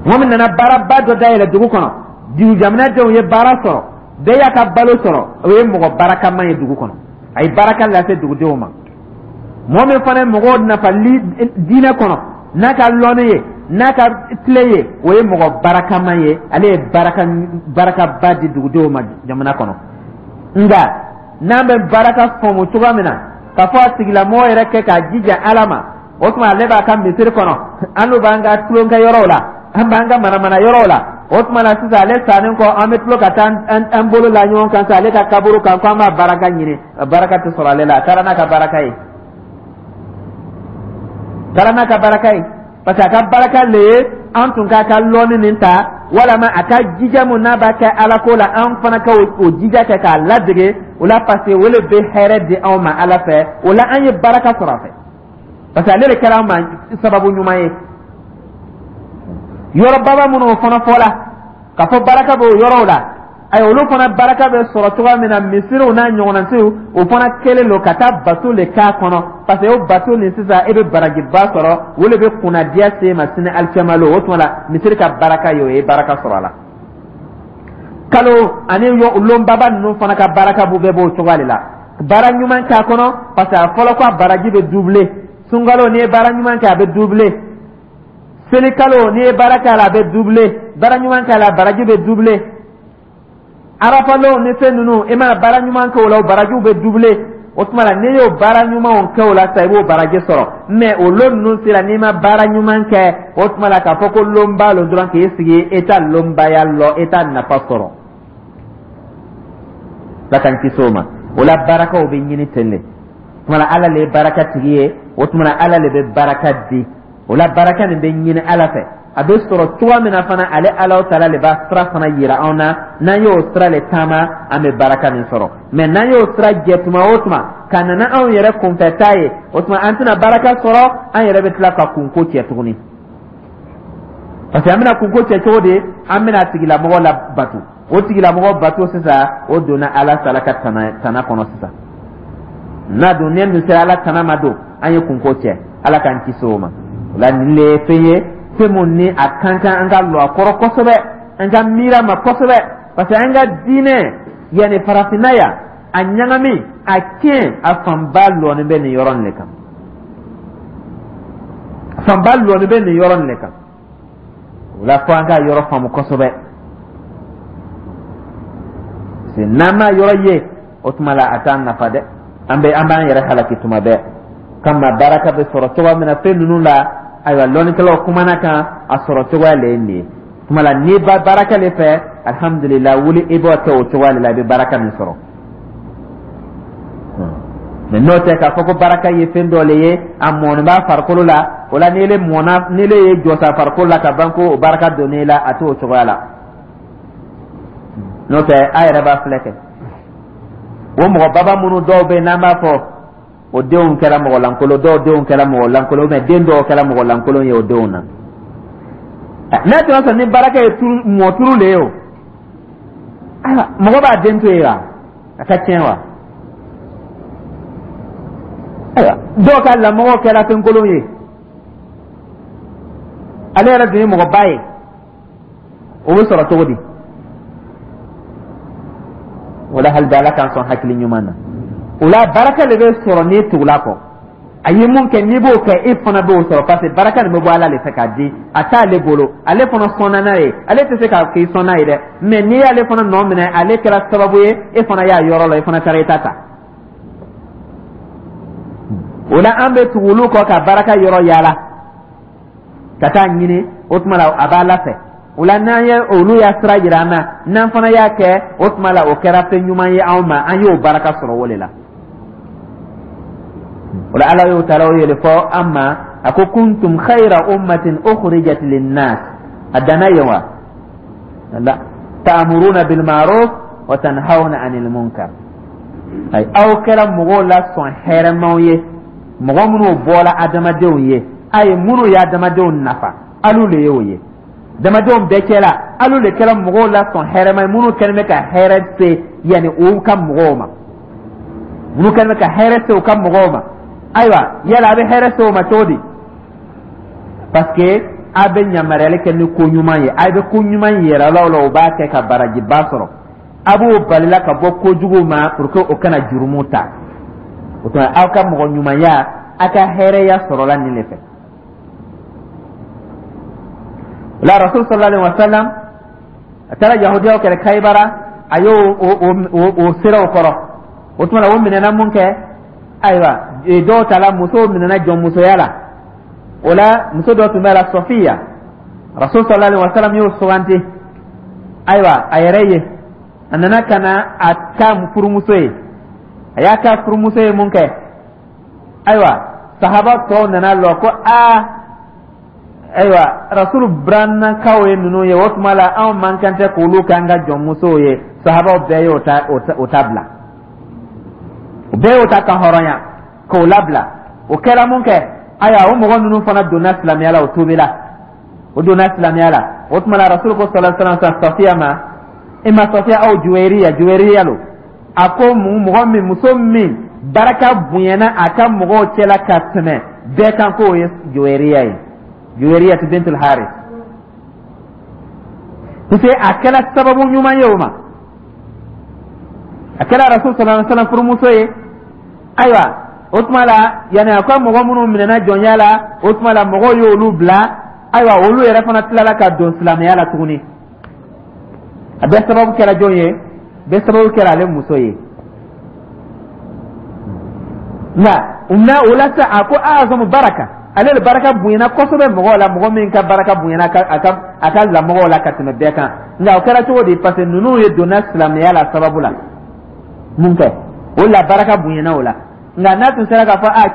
[SPEAKER 1] Mɔgɔ min nana baaraba dɔ dayɛlɛ dugu kɔnɔ, dugu jamanadenw ye baara sɔrɔ, bɛɛ y'a ka balo sɔrɔ, o ye mɔgɔ barakama ye dugu kɔnɔ, a ye baraka lase dugudenw ma. Mɔgɔ min fana ye mɔgɔw nafa diinɛ kɔnɔ n'a ka lɔnni ye, n'a ka tile ye, o ye mɔgɔ barakama ye, ale ye baraka barakaba di dugudenw ma jamana kɔnɔ. Nka n'an bɛ baraka faamu cogoya min na, k'a fɔ a tigilamɔgɔ yɛrɛ kɛ k'a jija Ala ma, o tuma ale b'a ka misiri kɔnɔ, an n'u b'an ka tulonkɛ yɔrɔw la, an b'an ka manamana yɔrɔw la. O tuma na sisan, ale sannen kɔ, an bɛ tulo ka taa an bolo la ɲɔgɔn kan sa ale ka kaburu kan ko an b'a baraka ɲini. Baraka tɛ sɔrɔ ale la. A taara n'a ka baraka ye, taara n'a ka baraka ye, parce que a ka baraka le ye an tun k'a ka lɔnni nin ta, walama a ka jija mun n'a b'a kɛ Ala ko la, an fana ka o jija kɛ k'a ladege o la, parce que o le bɛ hɛrɛ di anw ma Ala fɛ. O la an ye baraka sɔrɔ a fɛ, parce que ale de kɛra an ma sababu ɲuman ye. Yɔrɔ baba minnu fana fɔla k'a fɔ baraka b'o yɔrɔw la, ayi, olu fana baraka bɛ sɔrɔ cogoya min na, misiriw n'a ɲɔgɔnnasiw, o fana kɛlen don ka taa bato le k'a kɔnɔ, parce que o bato nin sisan, e bɛ barajiba sɔrɔ, o de bɛ kunnadiya se ma sini alikiyama lon. O tuma la misiri ka baraka ye, o ye baraka sɔrɔ a la. Kalo ani lonbaba ninnu fana ka baraka b'u bɛɛ b'o cogoya de la. Baara ɲuman k'a kɔnɔ, parce que a fɔlɔ ko a baraji bɛ doubler. Sunkalo, n'i ye baara ɲuman kɛ, a bɛ doubler. Selikalo, n'i ye baara kɛ a la, a bɛ doubler. Baara ɲuman kɛ a la, baraji bɛ doubler. Arafalon ni fɛn ninnu, i mana baara ɲuman kɛ o la, o barajiw bɛ doubler. O tuma la n'i y'o baara ɲumanw kɛ o la sisan, i b'o baraji sɔrɔ. Mais o lon ninnu sera, n'i ma baara ɲuman kɛ, o tuma la k'a fɔ ko lonba lon dɔrɔn k'i sigi, e t'a lonbaya lɔ, e t'a nafa sɔrɔ. Ala k'an kisi o ma. O la barakaw bɛ ɲini ten de. O tuma la Ala le ye baraka tigi ye, o tuma la Ala le bɛ baraka di. O la baraka nin bɛ ɲini Ala fɛ, a bɛ sɔrɔ cogoya min na fana, ale Alahu taala le b'a sira fana yira anw na. N'an y'o sira le taama, an bɛ baraka nin sɔrɔ. Mais n'an y'o sira jɛ tuma o tuma ka na n'anw yɛrɛ kunfɛta ye, o tuma an tɛna baraka sɔrɔ, an yɛrɛ bɛ tila ka kunko cɛ tuguni. Parce que an bɛna kunko cɛ cogo di? An bɛna a tigilamɔgɔ la bato, o tigilamɔgɔ bato sisan, o donna Ala taala ka tana kɔnɔ sisan. N'a dun ne dun sera Ala tana ma don, an ye kunko cɛ. Ala k'an kisi o ma. O la nin le ye fɛn ye, fɛn mun ni a kan kan an ka lɔ a kɔrɔ kosɛbɛ, an ka miiri a ma kosɛbɛ, parce que an ka diinɛ yanni farafinna yan, a ɲagami, a tiɲɛ, a fanba lɔnin bɛ nin yɔrɔ nin de kan, a fanba lɔnin bɛ nin yɔrɔ nin de kan. O la fo an ka yɔrɔ faamu kosɛbɛ, parce que n'an ma yɔrɔ ye, o tuma la a t'an nafa dɛ, an bɛ an b'an yɛrɛ halaki tuma bɛɛ. Kama baraka bɛ sɔrɔ cogoya min na fɛn ninnu la, ayiwa, lɔnnikɛlaw kumana kan, a sɔrɔ cogoya le ye nin ye. Tuma la n'i ba baraka le fɛ, alihamudulila, wuli i b'o kɛ o cogoya de la, i bɛ baraka min sɔrɔ. Mais n'o tɛ k'a fɔ ko baraka ye fɛn dɔ le ye, a mɔni b'a farikolo la, o la n'ele mɔna, n'ele ye jɔsa farikolo la ka ban ko o baraka donn'e la, a t'o cogoya la. N'o tɛ, a yɛrɛ b'a filɛ kɛ, o mɔgɔ baba minnu dɔw bɛ yen n'an b'a fɔ o denw kɛra mɔgɔ lankolon, dɔw denw kɛra mɔgɔ lankolon, mais den dɔw kɛra mɔgɔ lankolon ye o denw na. N'a tun y'a sɔrɔ ni baraka ye turu mɔ turu le ye, o ayiwa, mɔgɔ b'a den to yen wa, a ka tiɲɛ wa? Ayiwa, dɔw ka lamɔgɔ kɛra fɛnkolon ye, ale yɛrɛ dun ye mɔgɔba ye, o bɛ sɔrɔ cogo di? O la hali bi, Ala k'an sɔn hakili ɲuman na. O la baraka de bɛ sɔrɔ n'i tugula kɔ. A ye mun kɛ, n'i b'o kɛ, e fana b'o sɔrɔ, parce que baraka nin bɛ bɔ Ala de fɛ k'a di, a t'ale bolo, ale fana sɔnna n'a ye. Ale tɛ se k'a k'i sɔn n'a ye dɛ, mais n'i y'ale fana nɔ minɛ, ale kɛra sababu ye, e fana y'a yɔrɔ la, i fana taara i ta ta. O la an bɛ tugu olu kɔ ka baraka yɔrɔ yaala ka taa ɲini. O tuma la a b'Ala fɛ. O la n'an ye olu y'a sira jira an na, n'an fana y'a kɛ, o tuma la o kɛra fɛn ɲuman ye anw ma, an y'o baraka sɔrɔ o de la. O la Ala y'o taara o yɛlɛ fɔ an ma, a ko: kuntum khayra ummatin ukhrijat linnas. A danna yen wa? La ta'muruna bil ma'ruf wa tanhawna 'anil munkar. Ayi, aw kɛra mɔgɔw la sɔn hɛrɛmaw ye, mɔgɔ minnu bɔra adamadenw ye, ayi, minnu ye adamadenw nafa, alu le y'o ye adamadenw bɛɛ cɛla. Alu le kɛra mɔgɔw la sɔn hɛrɛma ye, minnu kɛlen bɛ ka hɛrɛ se yanni u ka mɔgɔw ma, minnu kɛlen bɛ ka hɛrɛ se u ka mɔgɔw ma. Ayiwa, yala a bɛ hɛrɛ se o ma cogo di? Parce que a bɛ yamaruyali kɛ ni ko ɲuman ye, a bɛ ko ɲuman yɛrɛ la, o la o b'a kɛ ka barajiba sɔrɔ. A b'o balila ka bɔ kojugu ma pour que o kana jurumu ta. O tuma, aw ka mɔgɔ ɲumanya, a ka hɛrɛya sɔrɔla nin de fɛ. O la, Rasul sallallahu alaihi wa sallam, a taara yahudiyaw kɛlɛ Kayibara, a y'o o siraw kɔrɔ. O tuma na, o minɛna mun kɛ? Ayiwa, dɔw ta la, musow minɛna jɔnmusoya la. O la, muso dɔ tun bɛ la, Sɔfiya. Rasul sallallahu alaihi wa sallam y'o suganti, ayiwa, a yɛrɛ ye. A nana ka na a ka furumuso ye. A y'a ka furumuso ye mun kɛ? Ayiwa, sahaba tɔw nana lɔ ko aa, ayiwa, Rasulu burannakaw ye ninnu ye. O tuma la, anw man kan tɛ k'olu k'an ka jɔnmusow ye. Sahabaw bɛɛ y'o ta, o ta bila. O bɛɛ y'o ta ka hɔrɔnya k'o labila. O kɛra mun kɛ? Ayiwa, o mɔgɔ ninnu fana donna silamɛya la, o tuubila, o donna silamɛya la. O tuma la, Rasulu ko sallallahu alaihi wasallam Safiya ma, ima Safiya aw Juweriya, Juweriya lo, a ko mɔgɔ min, muso min baraka bonyana a ka mɔgɔw cɛla ka tɛmɛ bɛɛ kan, k'o ye Juweriya ye, Juweriya bintul Haris, parce que a kɛra sababu ɲuman ye o ma. A kɛra Rasul sallallahu alaihi wasallam furumuso ye. Ayiwa, o tuma la, yanni a ka mɔgɔ minnu minɛna jɔnya la, o tuma la mɔgɔw y'olu bila. Ayiwa, olu yɛrɛ fana tilala ka don silamɛya la tuguni. A bɛɛ sababu kɛra jɔn ye? Bɛɛ sababu kɛra ale muso ye. Nka na o la sa, a ko azamu baraka, ale de baraka bonyana kosɛbɛ mɔgɔw la, mɔgɔ min ka baraka bonyana a ka lamɔgɔw la ka tɛmɛ bɛɛ kan. Nka o kɛra cogo di? Parce que ninnu ye donna silamɛya la sababu la mun kɛ, o la baraka bonyana o la. Nka n'a tun sera k'a fɔ a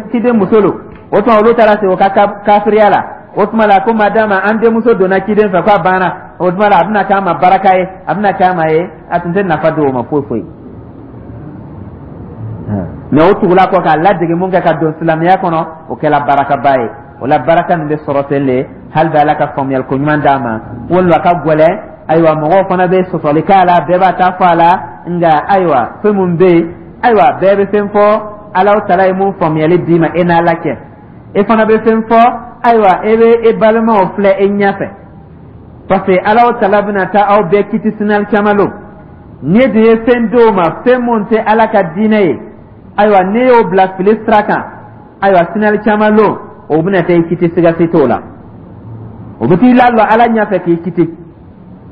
[SPEAKER 1] ciden muso lo, o tuma olu taara se o ka kafiriya la. O tuma la, ko madama an denmuso donna ciden fɛ, k'a banna, o tuma la a bɛna k'a ma baraka ye, a bɛna k'a ma ye, a tun tɛ nafa don o ma foyi foyi. Mɛ o tugula kɔ k'a ladege mun kɛ ka don silamɛya kɔnɔ, o kɛra barakaba ye. O la, baraka nin bɛ sɔrɔ ten de. Hali bɛ Ala ka faamuyali ko ɲuman d'a ma, walima a ka gɛlɛn. Ayiwa, mɔgɔw fana bɛ sɔsɔli k'a la, bɛɛ b'a ta fɔ a la. Nka ayiwa, fɛn mun bɛ yen, ayiwa, bɛɛ bɛ fɛn fɔ. Alahu Taala ye mun faamuyali d'i ma, e n'Ala cɛ. E fana bɛ fɛn fɔ. Ayiwa, e bɛ e balimaw filɛ e ɲɛfɛ, parce que Alahu Taala bɛna taa aw bɛɛ kiti sinali caman lo. N'e dun ye fɛn d'o ma, fɛn mun tɛ Ala ka diinɛ ye, ayiwa, n'e y'o bila fili sira kan, ayiwa, sinali caman lo, o bɛna taa i kiti, siga si t'o la. O bɛ t'i lalɔ Ala ɲɛfɛ k'i kiti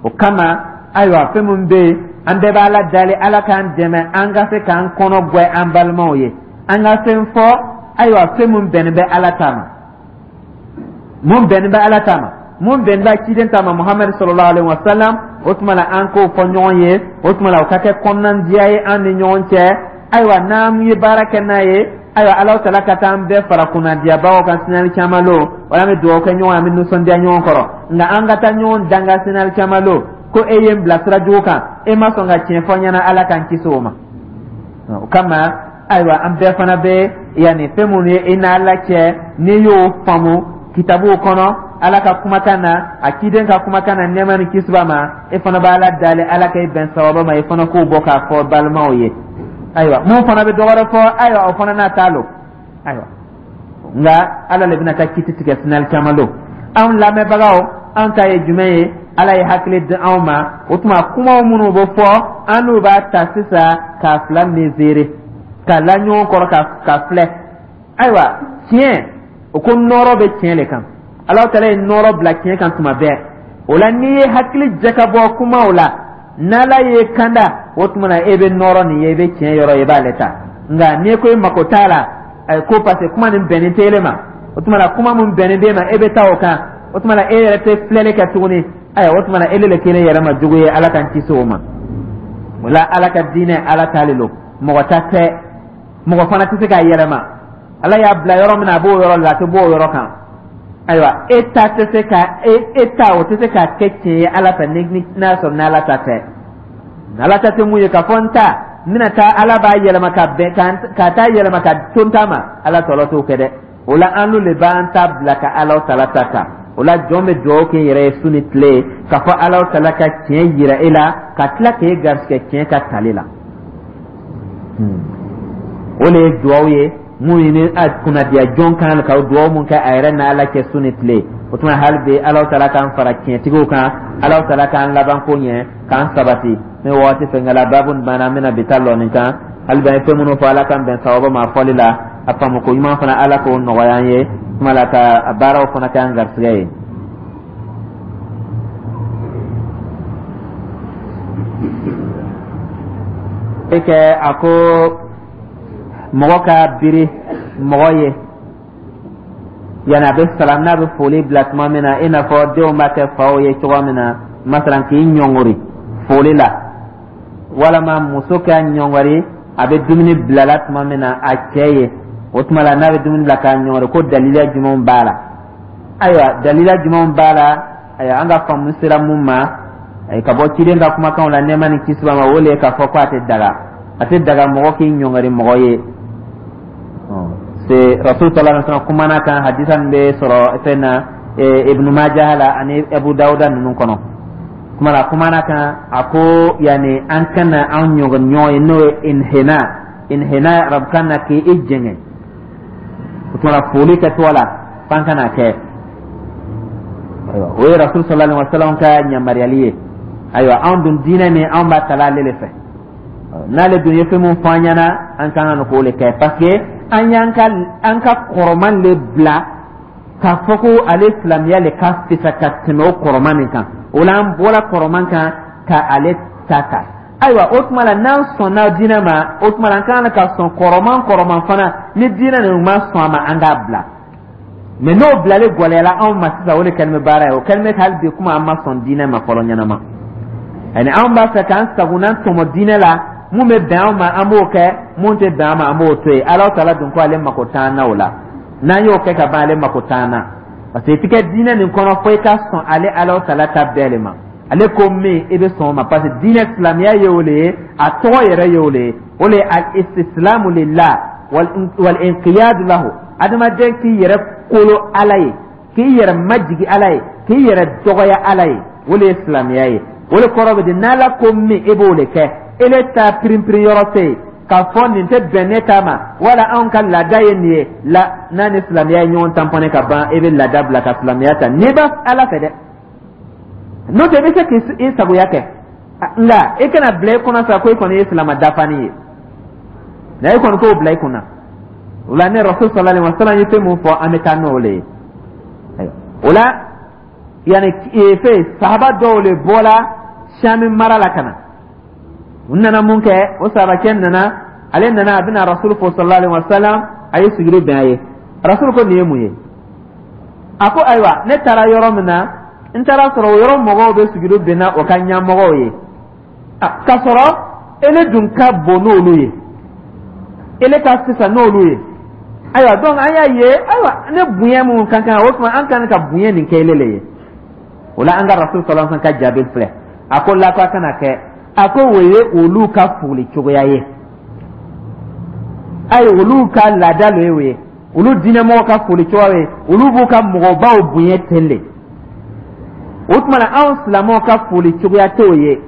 [SPEAKER 1] o kama. Ayiwa, fɛn mun bɛ yen, an bɛɛ b'Ala dali, Ala k'an dɛmɛ, an ka se k'an kɔnɔ gwɛ an balimaw ye, an ka fɛn fɔ, ayiwa, fɛn mun bɛnnen bɛ Ala ta ma, mun bɛnnen bɛ Ala ta ma, mun bɛnnen bɛ ciden ta ma, Muhamadu sallallahu alaihi wa sallam. O tuma la, an k'o fɔ ɲɔgɔn ye. O tuma la, o ka kɛ kɔnɔnandiya ye an ni ɲɔgɔn cɛ. Ayiwa, n'an ye baara kɛ n'a ye, ayiwa, Ala Taala ka taa an bɛɛ fara kunnadiyabagaw kan sinali caman lo. Wala an bɛ dugawu kɛ ɲɔgɔn ye, an bɛ nisɔndiya ɲɔgɔn kɔrɔ. Nka an ka taa ɲɔgɔn danga sinali caman lo ko e ye n bila sira jugu kan, e ma sɔn ka tiɲɛ fɔ n ɲɛna, Ala k'an kisi o ma. O kama, ayiwa, an bɛɛ fana bɛ yanni fɛn minnu ye i n'Ala cɛ, n'i y'o faamu kitabuw kɔnɔ, Ala ka kumakan na, a ciden ka kumakan na, nɛɛma ni kisi b'a ma, e fana b'Ala dali, Ala ka i bɛn sababa ma, i fana k'o bɔ k'a fɔ balimaw ye. Ayiwa, mun fana bɛ dɔ wɛrɛ fɔ, ayiwa, o fana n'a ta lo. Ayiwa, nka Ala le bɛna taa kiti tigɛ sinali caman don. Anw lamɛnbagaw, an ta ye jumɛn ye? Ala ye hakili di anw ma. O tuma, kumaw minnu bɛ fɔ, an n'u b'a ta sisan k'a fila mesurer, k'a la ɲɔgɔn kɔrɔ, ka filɛ. Ayiwa, tiɲɛ o ko nɔrɔ bɛ tiɲɛ le kan. Ala Taala ye nɔrɔ bila tiɲɛ kan tuma bɛɛ. O la, n'i ye hakili jakabɔ kumaw la, n'Ala ye kanda, o tuma na e bɛ nɔrɔ nin ye, i bɛ tiɲɛ yɔrɔ, i b'ale ta. Nka n'i ko i mako t'a la, ko parce que kuma nin bɛnnen tɛ ele ma, o tuma na kuma mun bɛnnen b'e ma, e bɛ taa o kan. O tuma na e yɛrɛ tɛ filɛli kɛ tuguni. Ayiwa, o tuma na ele le kelen yɛrɛ ma jugu ye. Ala k'an kisi o ma. O la, Ala ka diinɛ, Ala t'ale lo, mɔgɔ ta tɛ, mɔgɔ fana tɛ se k'a yɛlɛma. Ala y'a bila yɔrɔ min na, a b'o yɔrɔ la, a tɛ bɔ o yɔrɔ kan. Ayiwa, e ta tɛ se ka e ta, o tɛ se k'a kɛ tiɲɛ ye Ala fɛ ni n'a sɔrɔ n'Ala ta tɛ. Ala ta tɛ mun ye k'a fɔ n ta n bɛna taa, Ala b'a yɛlɛma ka bɛn ka taa yɛlɛma ka to n ta ma, Ala tɔlɔ t'o kɛ dɛ. O la, an le b'an ta bila ka Ala Tala ta ta. O la, jɔn bɛ dugawu kɛ yɛrɛ ye su ni tile, k'a fɔ Alahu Taala ka tiɲɛ yira e la, ka tila k'e garisɛgɛ tiɲɛ ka tali la. O de ye dugawu ye mun ni kunnadiya jɔn kan ka dugawu mun kɛ a yɛrɛ n'Ala cɛ su ni tile. O tuma, hali bi, Alahu Taala k'an fara tiɲɛtigiw kan, Alahu Taala k'an laban ko ɲɛ, k'an sabati. Ni waati fɛnkɛla baabu nin banna, an bɛna bi ta lɔ nin kan. Hali bi, an ye fɛn minnu fɔ, Ala k'an bɛn sababa ma fɔli la. A faamu ko ɲuman fana, Ala k'o nɔgɔya an ye kuma la, ka a baaraw fana kɛ an garisɛgɛ ye. E kɛ a ko mɔgɔ ka biri mɔgɔ ye yanni a bɛ salam, n'a bɛ foli bila tuma min na, i n'a fɔ denw b'a kɛ faw ye cogo min na, masalan k'i ɲɔngori foli la, walama muso ka ɲɔngɔri a bɛ dumuni bilala tuma min na a cɛ ye, o tuma la n'a bɛ dumuni bila k'a ɲɔngɔri, ko dalila jumɛnw b'a la? Ayiwa, dalila jumɛnw b'a la? Ayiwa, an ka faamu sera mun ma ka bɔ ciden ka kumakanw la, nɛɛma ni kisi b'a ma, o le ye k'a fɔ ko a tɛ daga, a tɛ daga mɔgɔ k'i ɲɔngɔri mɔgɔ ye. Se Rasul sallallahu alaihi wasallam kumana kan, hadisa min bɛ sɔrɔ fɛn na, Ibnu Majah la ani Abu Dawuda ninnu kɔnɔ. Kuma la, kumana kan, a ko yani an kana an ɲɔgɔn ɲɔgɔn ye, n'o ye inhina, inhina arabukan na, k'i jɛngɛ. O tuma la, foli kɛtɔ la, f'an kana kɛ. Ayiwa, o ye Rasul sallallahu alaihi wasallam ka yamaruyali ye. Ayiwa, anw dun diinɛ nin, anw b'a tala ale de fɛ. N'ale dun ye fɛn mun fɔ an ɲɛna, an ka kan k'o de kɛ, parce que an y'an ka an ka kɔrɔman le bila k'a fɔ ko ale silamɛya le ka fisa ka tɛmɛ o kɔrɔman nin kan. O la, an bɔra kɔrɔman kan ka ale ta ta. Ayiwa, o tuma la, n'an sɔnna diinɛ ma, o tuma la an ka kan ka sɔn kɔrɔman kɔrɔman fana. Ni diinɛ nin ma sɔn a ma, an k'a bila. Mɛ n'o bilali gɛlɛyala anw ma sisan, o de kɛlen bɛ baara ye. O kɛlen bɛ hali bi kuma, an ma sɔn diinɛ ma fɔlɔ ɲɛnama. Ani anw b'a fɛ k'an sagona tɔmɔ diinɛ la, mun bɛ bɛn anw ma, an b'o kɛ, mun tɛ bɛn an ma, an b'o to yen. Ala Taala dun ko ale mako t'an na o la. N'an y'o kɛ ka ban, ale mako t'an na, parce que i tɛ kɛ diinɛ nin kɔnɔ fo i ka sɔn ale Ala Taala ta bɛɛ de ma. Ale ko min, i bɛ sɔn o ma, parce que diinɛ silamɛya ye o de ye, a tɔgɔ yɛrɛ ye o de ye, o de ye al istislamu lillah wal inqiyadu lahu. Adamaden k'i yɛrɛ kolo Ala ye, k'i yɛrɛ majigi Ala ye, k'i yɛrɛ dɔgɔya Ala ye, o de ye silamɛya ye. O de kɔrɔ bɛ di, n'Ala ko min, e b'o de kɛ. Ele ta pirinpirin yɔrɔ tɛ yen k'a fɔ nin tɛ bɛn ne ta ma, wala anw ka laada ye nin ye la. N'a ni silamɛya ye ɲɔgɔn tanpɔnɛ ka ban, e bɛ laada bila ka silamɛya ta, n'i b'a Ala fɛ dɛ. N'o tɛ, i bɛ se k'i sagoya kɛ, nka i kana bila i kɔnɔ sa ko i kɔni ye silama dafani ye. Nka e kɔni k'o bila i kunna. O la, ne Rasul sallallahu alaihi wasallam ye fɛn mun fɔ, an bɛ taa n'o le ye. O la, yanni fɛn sahaba dɔw le bɔra Sami mara la ka na. U nana mun kɛ? O sahabakɛ nana, ale nana, a bɛna Rasul fo sallallahu alaihi wasallam, a ye sujudu bin a ye. Rasul ko nin ye mun ye? A ko ayiwa, ne taara yɔrɔ min na, n taara sɔrɔ o yɔrɔ mɔgɔw bɛ sujudu binna o ka ɲɛmɔgɔw ye, k'a sɔrɔ ele dun ka bon n'olu ye, ele ka fisa n'olu ye. Ayiwa, donc an y'a ye, ayiwa, ne bonya mun ka kan, o tuma an kan ka bonya nin kɛ ele le ye. O la, an ka Rasul sallallahu alaihi wasallam ka jaabi filɛ. A ko la, ko a kana kɛ. A ko o ye olu ka foli cogoya ye, ayi, olu ka laada lo ye o ye, olu diinɛmɔgɔw ka foli cogoya ye, olu b'u ka mɔgɔbaw bonya ten de. O tuma na, anw silamɛw ka foli cogoya t'o ye.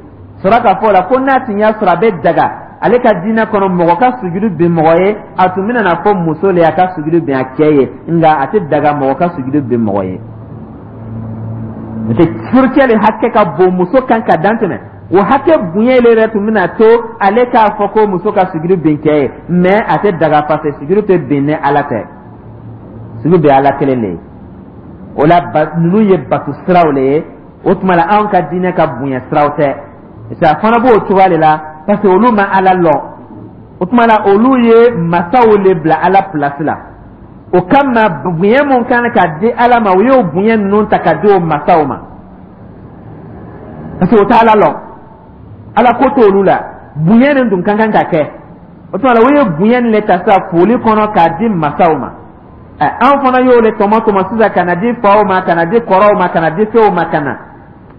[SPEAKER 1] Sɔrɔ k'a fɔ o la ko n'a tun y'a sɔrɔ a bɛ daga ale ka diinɛ kɔnɔ mɔgɔ ka sujudu bin mɔgɔ ye, a tun bɛna na fɔ muso le a ka sujudu bin a cɛ ye, nka a tɛ daga mɔgɔ ka sujudu bin mɔgɔ ye. N'o tɛ, furucɛ le hakɛ ka bon muso kan ka dan tɛmɛ. O hakɛ bonya le yɛrɛ tun bɛna to ale k'a fɔ ko muso ka sujudu bin cɛ ye, mais a tɛ daga, parce que sujudu tɛ bin ni Ala tɛ, sujudu bɛ Ala kelen de ye. O la, ninnu ye bato siraw le ye. O tuma la, anw ka diinɛ ka bonya siraw tɛ. Parce que a fana b'o cogoya de la, parce que olu ma Ala lɔn. O tuma la, olu ye masaw le bila Ala place la. O kama, bonya mun kan ka di Ala ma, o y'o bonya ninnu ta ka di o masaw ma, parce que o tɛ Ala lɔn, Ala ko t'olu la. Bonya nin dun ka kan ka kɛ. O tuma la, o ye bonya nin le ta sisan foli kɔnɔ k'a di masaw ma. An fana y'o le tɔmɔ tɔmɔ sisan ka na di faw ma, ka na di kɔrɔw ma, ka na di fɛnw ma, ka na.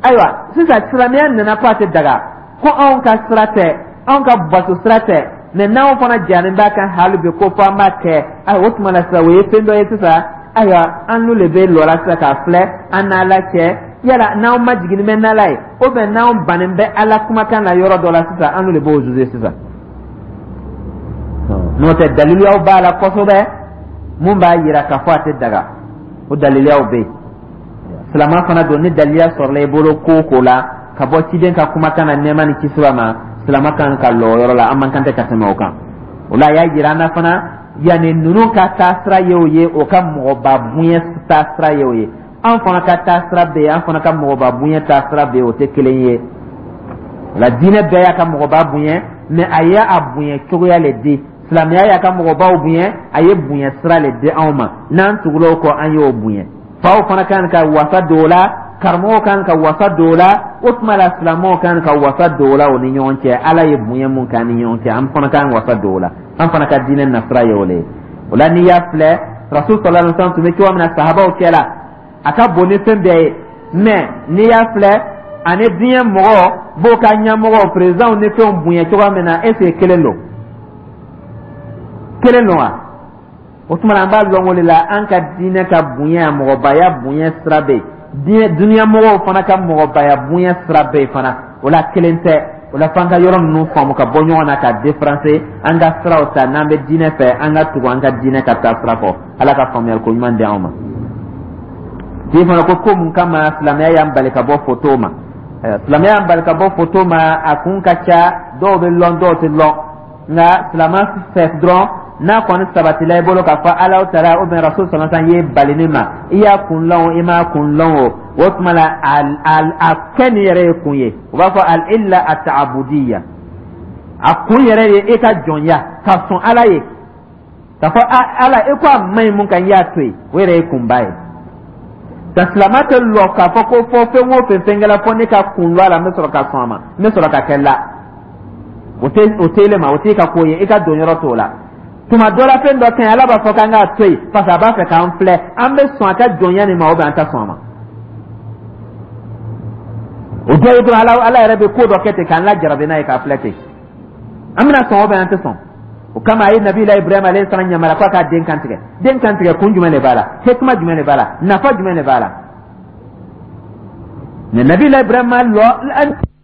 [SPEAKER 1] Ayiwa, sisan silamɛya nana ko a tɛ daga, ko anw ka sira tɛ, anw ka bato sira tɛ, mɛ n'anw fana jalen b'a kan hali bi ko fo an b'a kɛ. Ayiwa, o tuma la sisan, o ye fɛn dɔ ye sisan. Ayiwa, an n'u le bɛ lɔ la sisan k'a filɛ an n'Ala cɛ. Yala n'anw ma jiginni bɛ n'Ala ye ou bien n'anw bannen bɛ Ala kumakan na yɔrɔ dɔ la sisan, an n'u de b'o juger sisan. N'o tɛ, daliluyaw b'a la kosɛbɛ mun b'a yira k'a fɔ a tɛ daga. O daliluyaw bɛ yen. Silama fana don, ni daliluya sɔrɔla i bolo ko o ko la ka bɔ ciden ka kumakan na, nɛɛma ni kisi b'a ma, silama kan ka lɔ o yɔrɔ la. An man kan tɛ ka tɛmɛ o kan. O la, a y'a yira an na fana, yanni ninnu ka taasira ye o ye, o ka mɔgɔba bonya taasira ye o ye. An fana ka taasira bɛ yen, an fana ka mɔgɔba bonya taasira bɛ yen, o tɛ kelen ye. O la, diinɛ bɛɛ y'a ka mɔgɔba bonya, mais a ye a bonya cogoya le di. Silamɛya y'a ka mɔgɔbaw bonya, a ye bonya sira le di anw ma. N'an tugula o kɔ, an y'o bonya. Faw fana kan ka wasa don o la, karamɔgɔw kan ka wasa don o la. O tuma la, silamɛw kan ka wasa don o la o ni ɲɔgɔn cɛ. Ala ye bonya mun k'an ni ɲɔgɔn cɛ, an fana kan wasa don o la. An fana ka diinɛ nasira ye o le ye. O la, n'i y'a filɛ, Rasul sallallahu alaihi wasallam tun bɛ cogo min na sahabaw cɛ la, a ka bon ni fɛn bɛɛ ye, mais n'i y'a filɛ, ani diɲɛ mɔgɔ b'o ka ɲɛmɔgɔ, présidentw ni fɛnw bonya cogoya min na, est ce que kelen don? Kelen don wa? O tuma na, an b'a lɔn o de la, an ka diinɛ ka bonya, mɔgɔbaya bonya sira bɛ yen, diɲɛ dunuya fana ka mɔgɔbaya bonya sira bɛ yen fana. O la, kelen tɛ. O la, f'an ka yɔrɔ ninnu faamu ka bɔ ɲɔgɔn na, ka différencier an ka siraw ta. N'an bɛ diinɛ fɛ, an ka tugu an ka diinɛ ka taa sira kɔ. Ala ka faamuyali ko ɲuman di anw ma. Tigi fana ko ko mun kama silamɛya y'an bali ka bɔ foto ma? Silamɛya y'an bali ka bɔ foto ma, a kun ka ca. Dɔw bɛ lɔn, dɔw tɛ lɔn. Nka silamɛ fɛ dɔrɔn, n'a kɔni sabatila i bolo k'a fɔ Ala taala ou bien Rasul sallallahu alaihi wasallam ye bali ne ma, i y'a kun lɔn o, i m'a kun lɔn o, o tuma la, a kɛ nin yɛrɛ ye kun ye. U b'a fɔ al illa at-ta'budiyya, a kun yɛrɛ ye e ka jɔnya ka sɔn Ala ye, k'a fɔ Ala e ko a man ɲi mun kan, i y'a to yen, o yɛrɛ ye kunba ye. Ka silamɛ tɛ lɔ k'a fɔ ko fɔ fɛn o fɛn fɛn kɛla, fɔ ne ka kun lɔ a la, n bɛ sɔrɔ ka sɔn a ma, n bɛ sɔrɔ ka kɛ la. O tɛ o tɛ ele ma, o t'i ka ko ye, i ka don yɔrɔ t'o la. Tuma dɔ la, fɛn dɔ ka ɲi, Ala b'a fɔ k'an k'a to yen parce que a b'a fɛ k'an filɛ, an bɛ sɔn a ka jɔnya nin ma ou bien an tɛ sɔn a ma. O dɔ ye dɔrɔn, Ala yɛrɛ bɛ ko dɔ kɛ ten k'an lajarabi n'a ye, k'a filɛ ten, an bɛna sɔn ou bien an tɛ sɔn. O kama, a ye Nabila Ibrahima alayhi salam yamaruya k'a ka den kantigɛ. Den kantigɛ, kun jumɛn de b'a la? Hikma jumɛn de b'a la? Nafa jumɛn de b'a la? Mais Nabila Ibrahima lɔ.